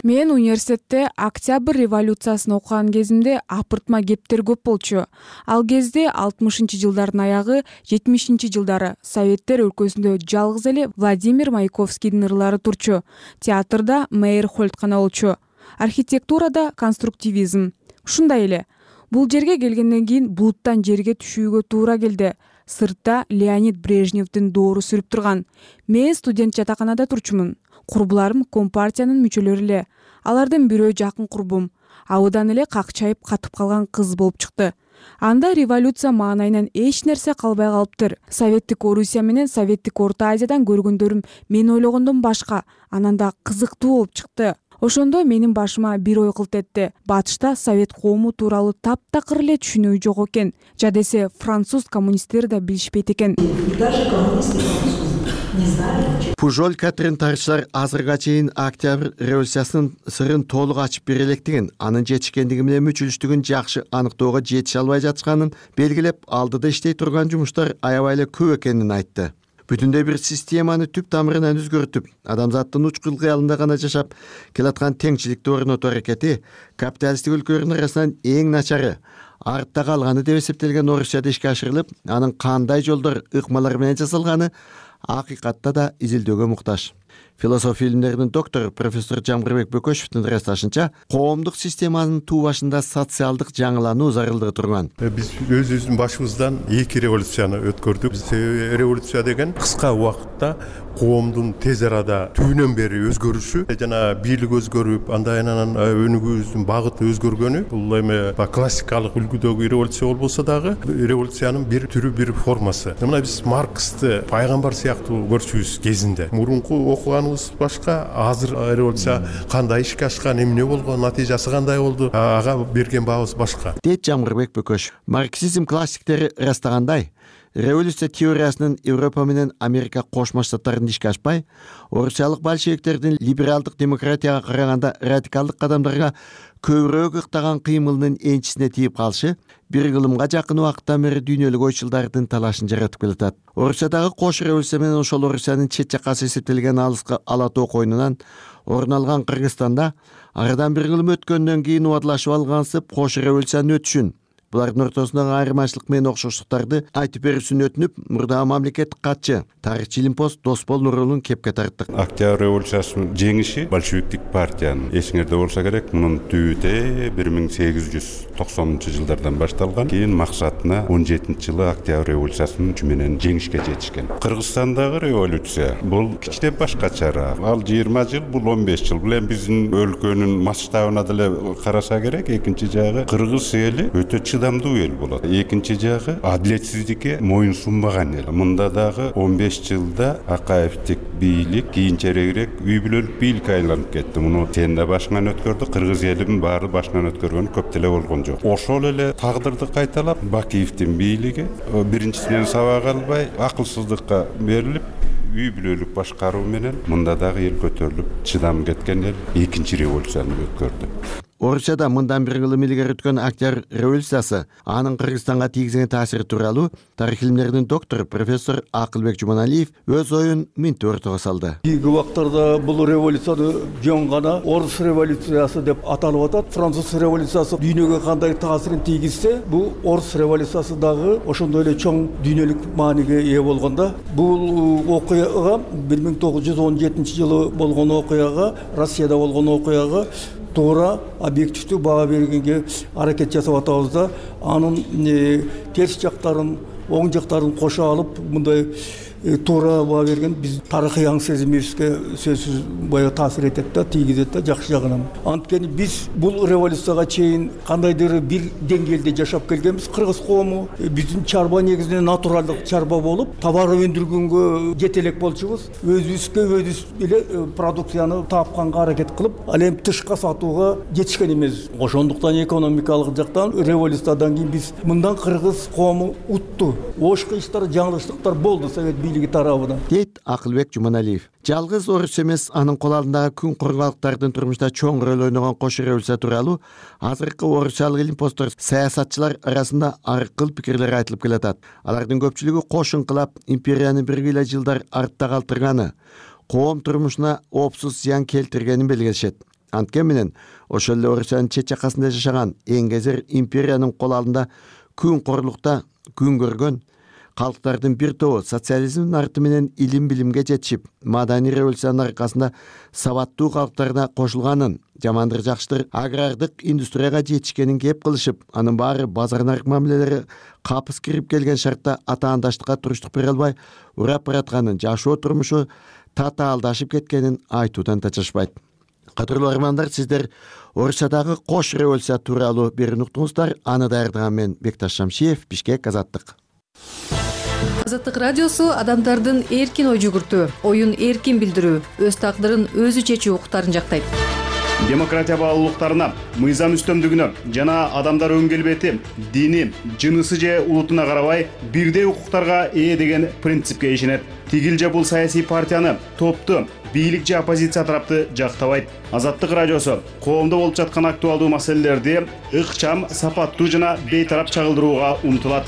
Мен университетте Октябрь революциясын окуган кезимде апыртма кептер көп болчу. Ал кезде алтымышынчы жылдардын аягы, жетимишинчи жылдары Советтер өлкөсүндө жалгыз эле Владимир Маяковскийдин ырлары турчу. Театрда Мейерхольд гана болчу. Архитектурада конструктивизм. Ушундай эле. Бул жерге келгенден кийин булуттан жерге түшүүгө туура келди. Сыртта Леонид Брежневдин доору сүрүп турган. Мен студент жатаканада турчумун. Курбуларым компартиянын мүчөлөрү эле. Алардын бирөө жакын курбум. Абыдан эле какчайып катып калган кыз болуп чыкты. Анда революция маанайынан эч нерсе калбай калыптыр. Советтик Орусия менен Советтик Орто Азиядан көргөндөрүм мен ойлогондон башка, анан да кызыктуу болуп чыкты. Ошондо менин башыма бир ой кылт этти. Батышта Совет коому тууралуу таптакыр эле түшүнүү жок экен. Жадесе француз коммунисттери да билишпейт экен. Пужоль Катрин Тарычлар азырга чейин Октябрь революциясынын сырын толук ачып бере электигин, анын жетишкендиги менен мүчүлүштүгүн жакшы аныктоого жетише албай жатышканын белгилеп, алдыда иштей турган жумуштар аябай эле көп экенин айтты. Бүтүндөй бир системаны түп тамырынан өзгөртүп, адамзаттын учкул кыялында гана жашап келаткан теңчиликти орнотуу аракети капиталисттик өлкөлөрдүн арасынан эң начары, артта калганы деп эсептелген Орусияда ишке ашырылып, анын кандай жолдор, ыкмалар менен жасалганы акыйкатта да изилдөөгө муктаж. Философия илимдеринин доктору профессор Жамгырбек Бөкөшевдин ырасташынча, коомдук системанын туу башында социалдык жаңылануу зарылдыгы турган. Биз өзүбүздүн башыбыздан эки революцияны өткөрдүк. Революция деген кыска убакытта коомдун тез арада түбүнөн бери өзгөрүшү, жана бийлик өзгөрүп, андан анан өнүгүүбүздүн багыты өзгөргөнү. Бул эми классикалык үлгүдөгү революция болбосо дагы революциянын бир түрү, бир формасы. Мына биз Марксты пайгамбар сыяктуу көрчүбүз кезинде. Мурунку окуганыбыз башка, азыр революция кандай ишке ашкан, эмне болгон, натыйжасы кандай болду, ага берген баабыз башка. Дейт Жамгырбек Бөкөшев. Марксизм классиктери ырастагандай, революция теориясынын Европа менен Америка Кошмо Штаттарында ишке ашпай, орусиялык большевиктердин либералдык демократияга караганда радикалдык кадамдарга көбүрөөк ыктаган кыймылынын энчисине тийип калышы бир кылымга жакын убакыттан бери дүйнөлүк ойчулдардын талашын жаратып келатат. Орусиядагы кош революция менен ошол Орусиянын чет жаккасы эсептелген алыска Ала тоо койнунан орун алган Кыргызстанда арадан бир кылым өткөндөн кийин убадылашып алгансып кош революциянын өтүшүн, булардын ортосундагы айырмачылык менен окшоштуктарды айтып берүүсүн өтүнүп, мурдагы мамлекеттик катчы, тарыхчы илимпоз Досбол Нурулун кепке тарттык. Октябрь революциясынын жеңиши большевиктик партиянын, эсиңерде болсо керек, мунун түбүтө бир миң сегиз жүз токсонунчу жылдардан башталган. Кийин максатына он жетинчи жылы Октябрь революциясынын күчү менен жеңишке жетишкен. Кыргызстандагы революция бул кичине башкачараак. Ал жыйырма жыл, бул он беш жыл. Бул эми биздин өлкөнүн масштабына деле караса керек. Экинчи жагы кыргыз эли өтө чыдамдуу эл болот. Экинчи жагы адилетсиздикке моюн сунбаган эл. Мында дагы он беш жылда Акаевдик бийлик кийинчерээк үй бүлөлүк бийликке айланып кетти. Муну сен да башыңан өткөрдү, кыргыз элинин баары башынан өткөргөн көп деле болгон жок. Ошол эле тагдырды кайталап, Бакиевдин бийлиги биринчисинен сабак албай, акылсыздыкка берилип, үй бүлөлүк башкаруу менен мында дагы эл көтөрүлүп, чыдам кеткен эл экинчи революцияны өткөрдү. Орусияда мындан бир кылым илгери өткөн Октябрь революциясы, анын Кыргызстанга тийгизген таасири тууралуу тарых илимдеринин доктору профессор Акылбек Жуманалиев өз оюн мынтип ортого салды. Кийинки убактарда бул революцияны жөн гана Орус революциясы деп аталып атат. Француз революциясы дүйнөгө кандай таасирин тийгизсе, бул Орус революциясы дагы ошондой эле чоң дүйнөлүк мааниге ээ болгондо. Бул окуяга бир миң тогуз жүз он жетинчи жылы болгон окуяга, Россияда болгон окуяга туура объективдүү баа бергенге аракет жасап атабыз да, анын терс жактарын, оң жактарын кошо алып, мындай туура баа берген биз тарыхый аң сезимибизге сөзсүз баягы таасир этет да, тийгизет да, жакшы жагынан. Анткени биз бул революцияга чейин кандайдыр бир деңгээлде жашап келгенбиз. Кыргыз коому биздин чарба негизинен натуралдык чарба болуп, товар өндүргөнгө жетелек болчубуз. Өзүбүзгө өзүбүз эле продукцияны тапканга аракет кылып, ал эми тышка сатууга жетишкен эмес. Ошондуктан экономикалык жактан революциядан кийин биз мындан кыргыз коому утту. Ошко иштер, жаңылыштыктар болду совет тарабынан, дейт Акылбек Жуманалиев. Жалгыз Орус эмес, анын кол алдындагы күн кургалыктардын турмушта чоң роль ойногон кош революция тууралуу азыркы орусиялык илимпоздор, саясатчылар арасында ар кыл пикирлер айтылып келатат. Алардын көпчүлүгү кош инкылап империяны бир гыйла жылдар артта калтырганы, коом турмушуна оопсуз зыян келтиргенин белгилешет. Анткени менен ошол эле Орусиянын чет жакасында жашаган эңгезер империянын кол алдында күн корлукта күн көргөн калктардын бир тобу социализмдин арты менен илим билимге жетишип, маданий революциянын аркасында сабаттуу калктарына кошулганын, жамандыр жакшытыр агрардык индустрияга жетишкенин кеп кылышып, анын баары базар нарык мамилелери капыс кирип келген шартта атаандаштыкка туруштук бере албай урап баратканын, жашоо турмушу татаалдашып кеткенин айтуудан тачышпайт. Кадырлуу армандар, сиздер Орусиядагы кош революция тууралуу берүүнү уктуңуздар. Аны даярдаган мен Бекташ Шамшиев, Бишкек, Азаттык. Азаттык радиосу адамдардын эркин ой жүгүртүү, оюн эркин билдирүү, өз тагдырын өзү чечүү укуктарын жактайт. демократия баалуулуктарына, мыйзам үстөмдүгүнө жана адамдар өң келбети, дини, жынысы же улутуна карабай бирдей укуктарга ээ деген принципке ишенет. Тигил же бул саясий партияны, топту, бийлик же оппозиция тарапты жактабайт. Азаттык радиосу коомдо болуп жаткан актуалдуу маселелерди ыкчам, сапаттуу жана бейтарап чагылдырууга умтулат.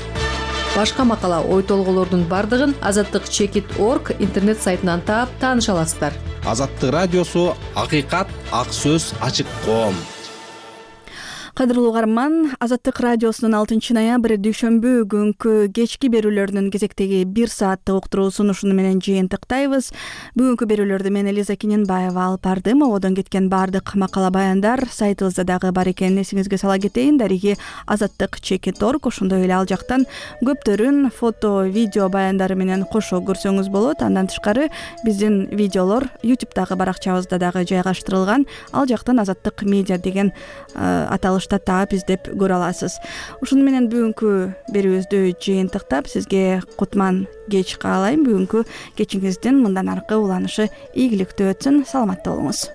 Башка макала, ой толголордун бардыгын азаттык чекит орг интернет сайтынан таап тааныша аласыздар. Азаттык радиосу акыйкат, ак сөз, ачык коом. Кадырлуу угарман, Азаттык радиосунун алтынчы ноябрь дүйшөмбү күнкү кечки берүүлөрүнүн кезектеги бир сааттык уктуруусун ушуну менен жыйынтыктайбыз. Бүгүнкү берүүлөрдү мен Элиза Кененбаева алып бардым. Ободон кеткен баардык макала баяндар сайтыбызда дагы бар экенин эсиңизге сала кетейин. Дариги азаттык чекит орг, ошондой эле ал жактан көптөрүн фото, видео баяндары менен кошо көрсөңүз болот. Андан тышкары биздин видеолор YouTube'дагы баракчабызда дагы жайгаштырылган. Ал жактан Азаттык медиа деген аталыш таап издеп көрө аласыз. Ушуну менен бүгүнкү берүүбүздү жыйынтыктап, сизге кутман кеч каалайм. Бүгүнкү кечиңиздин мындан аркы уланышы ийгиликтүү өтсүн. Саламатта болуңуз.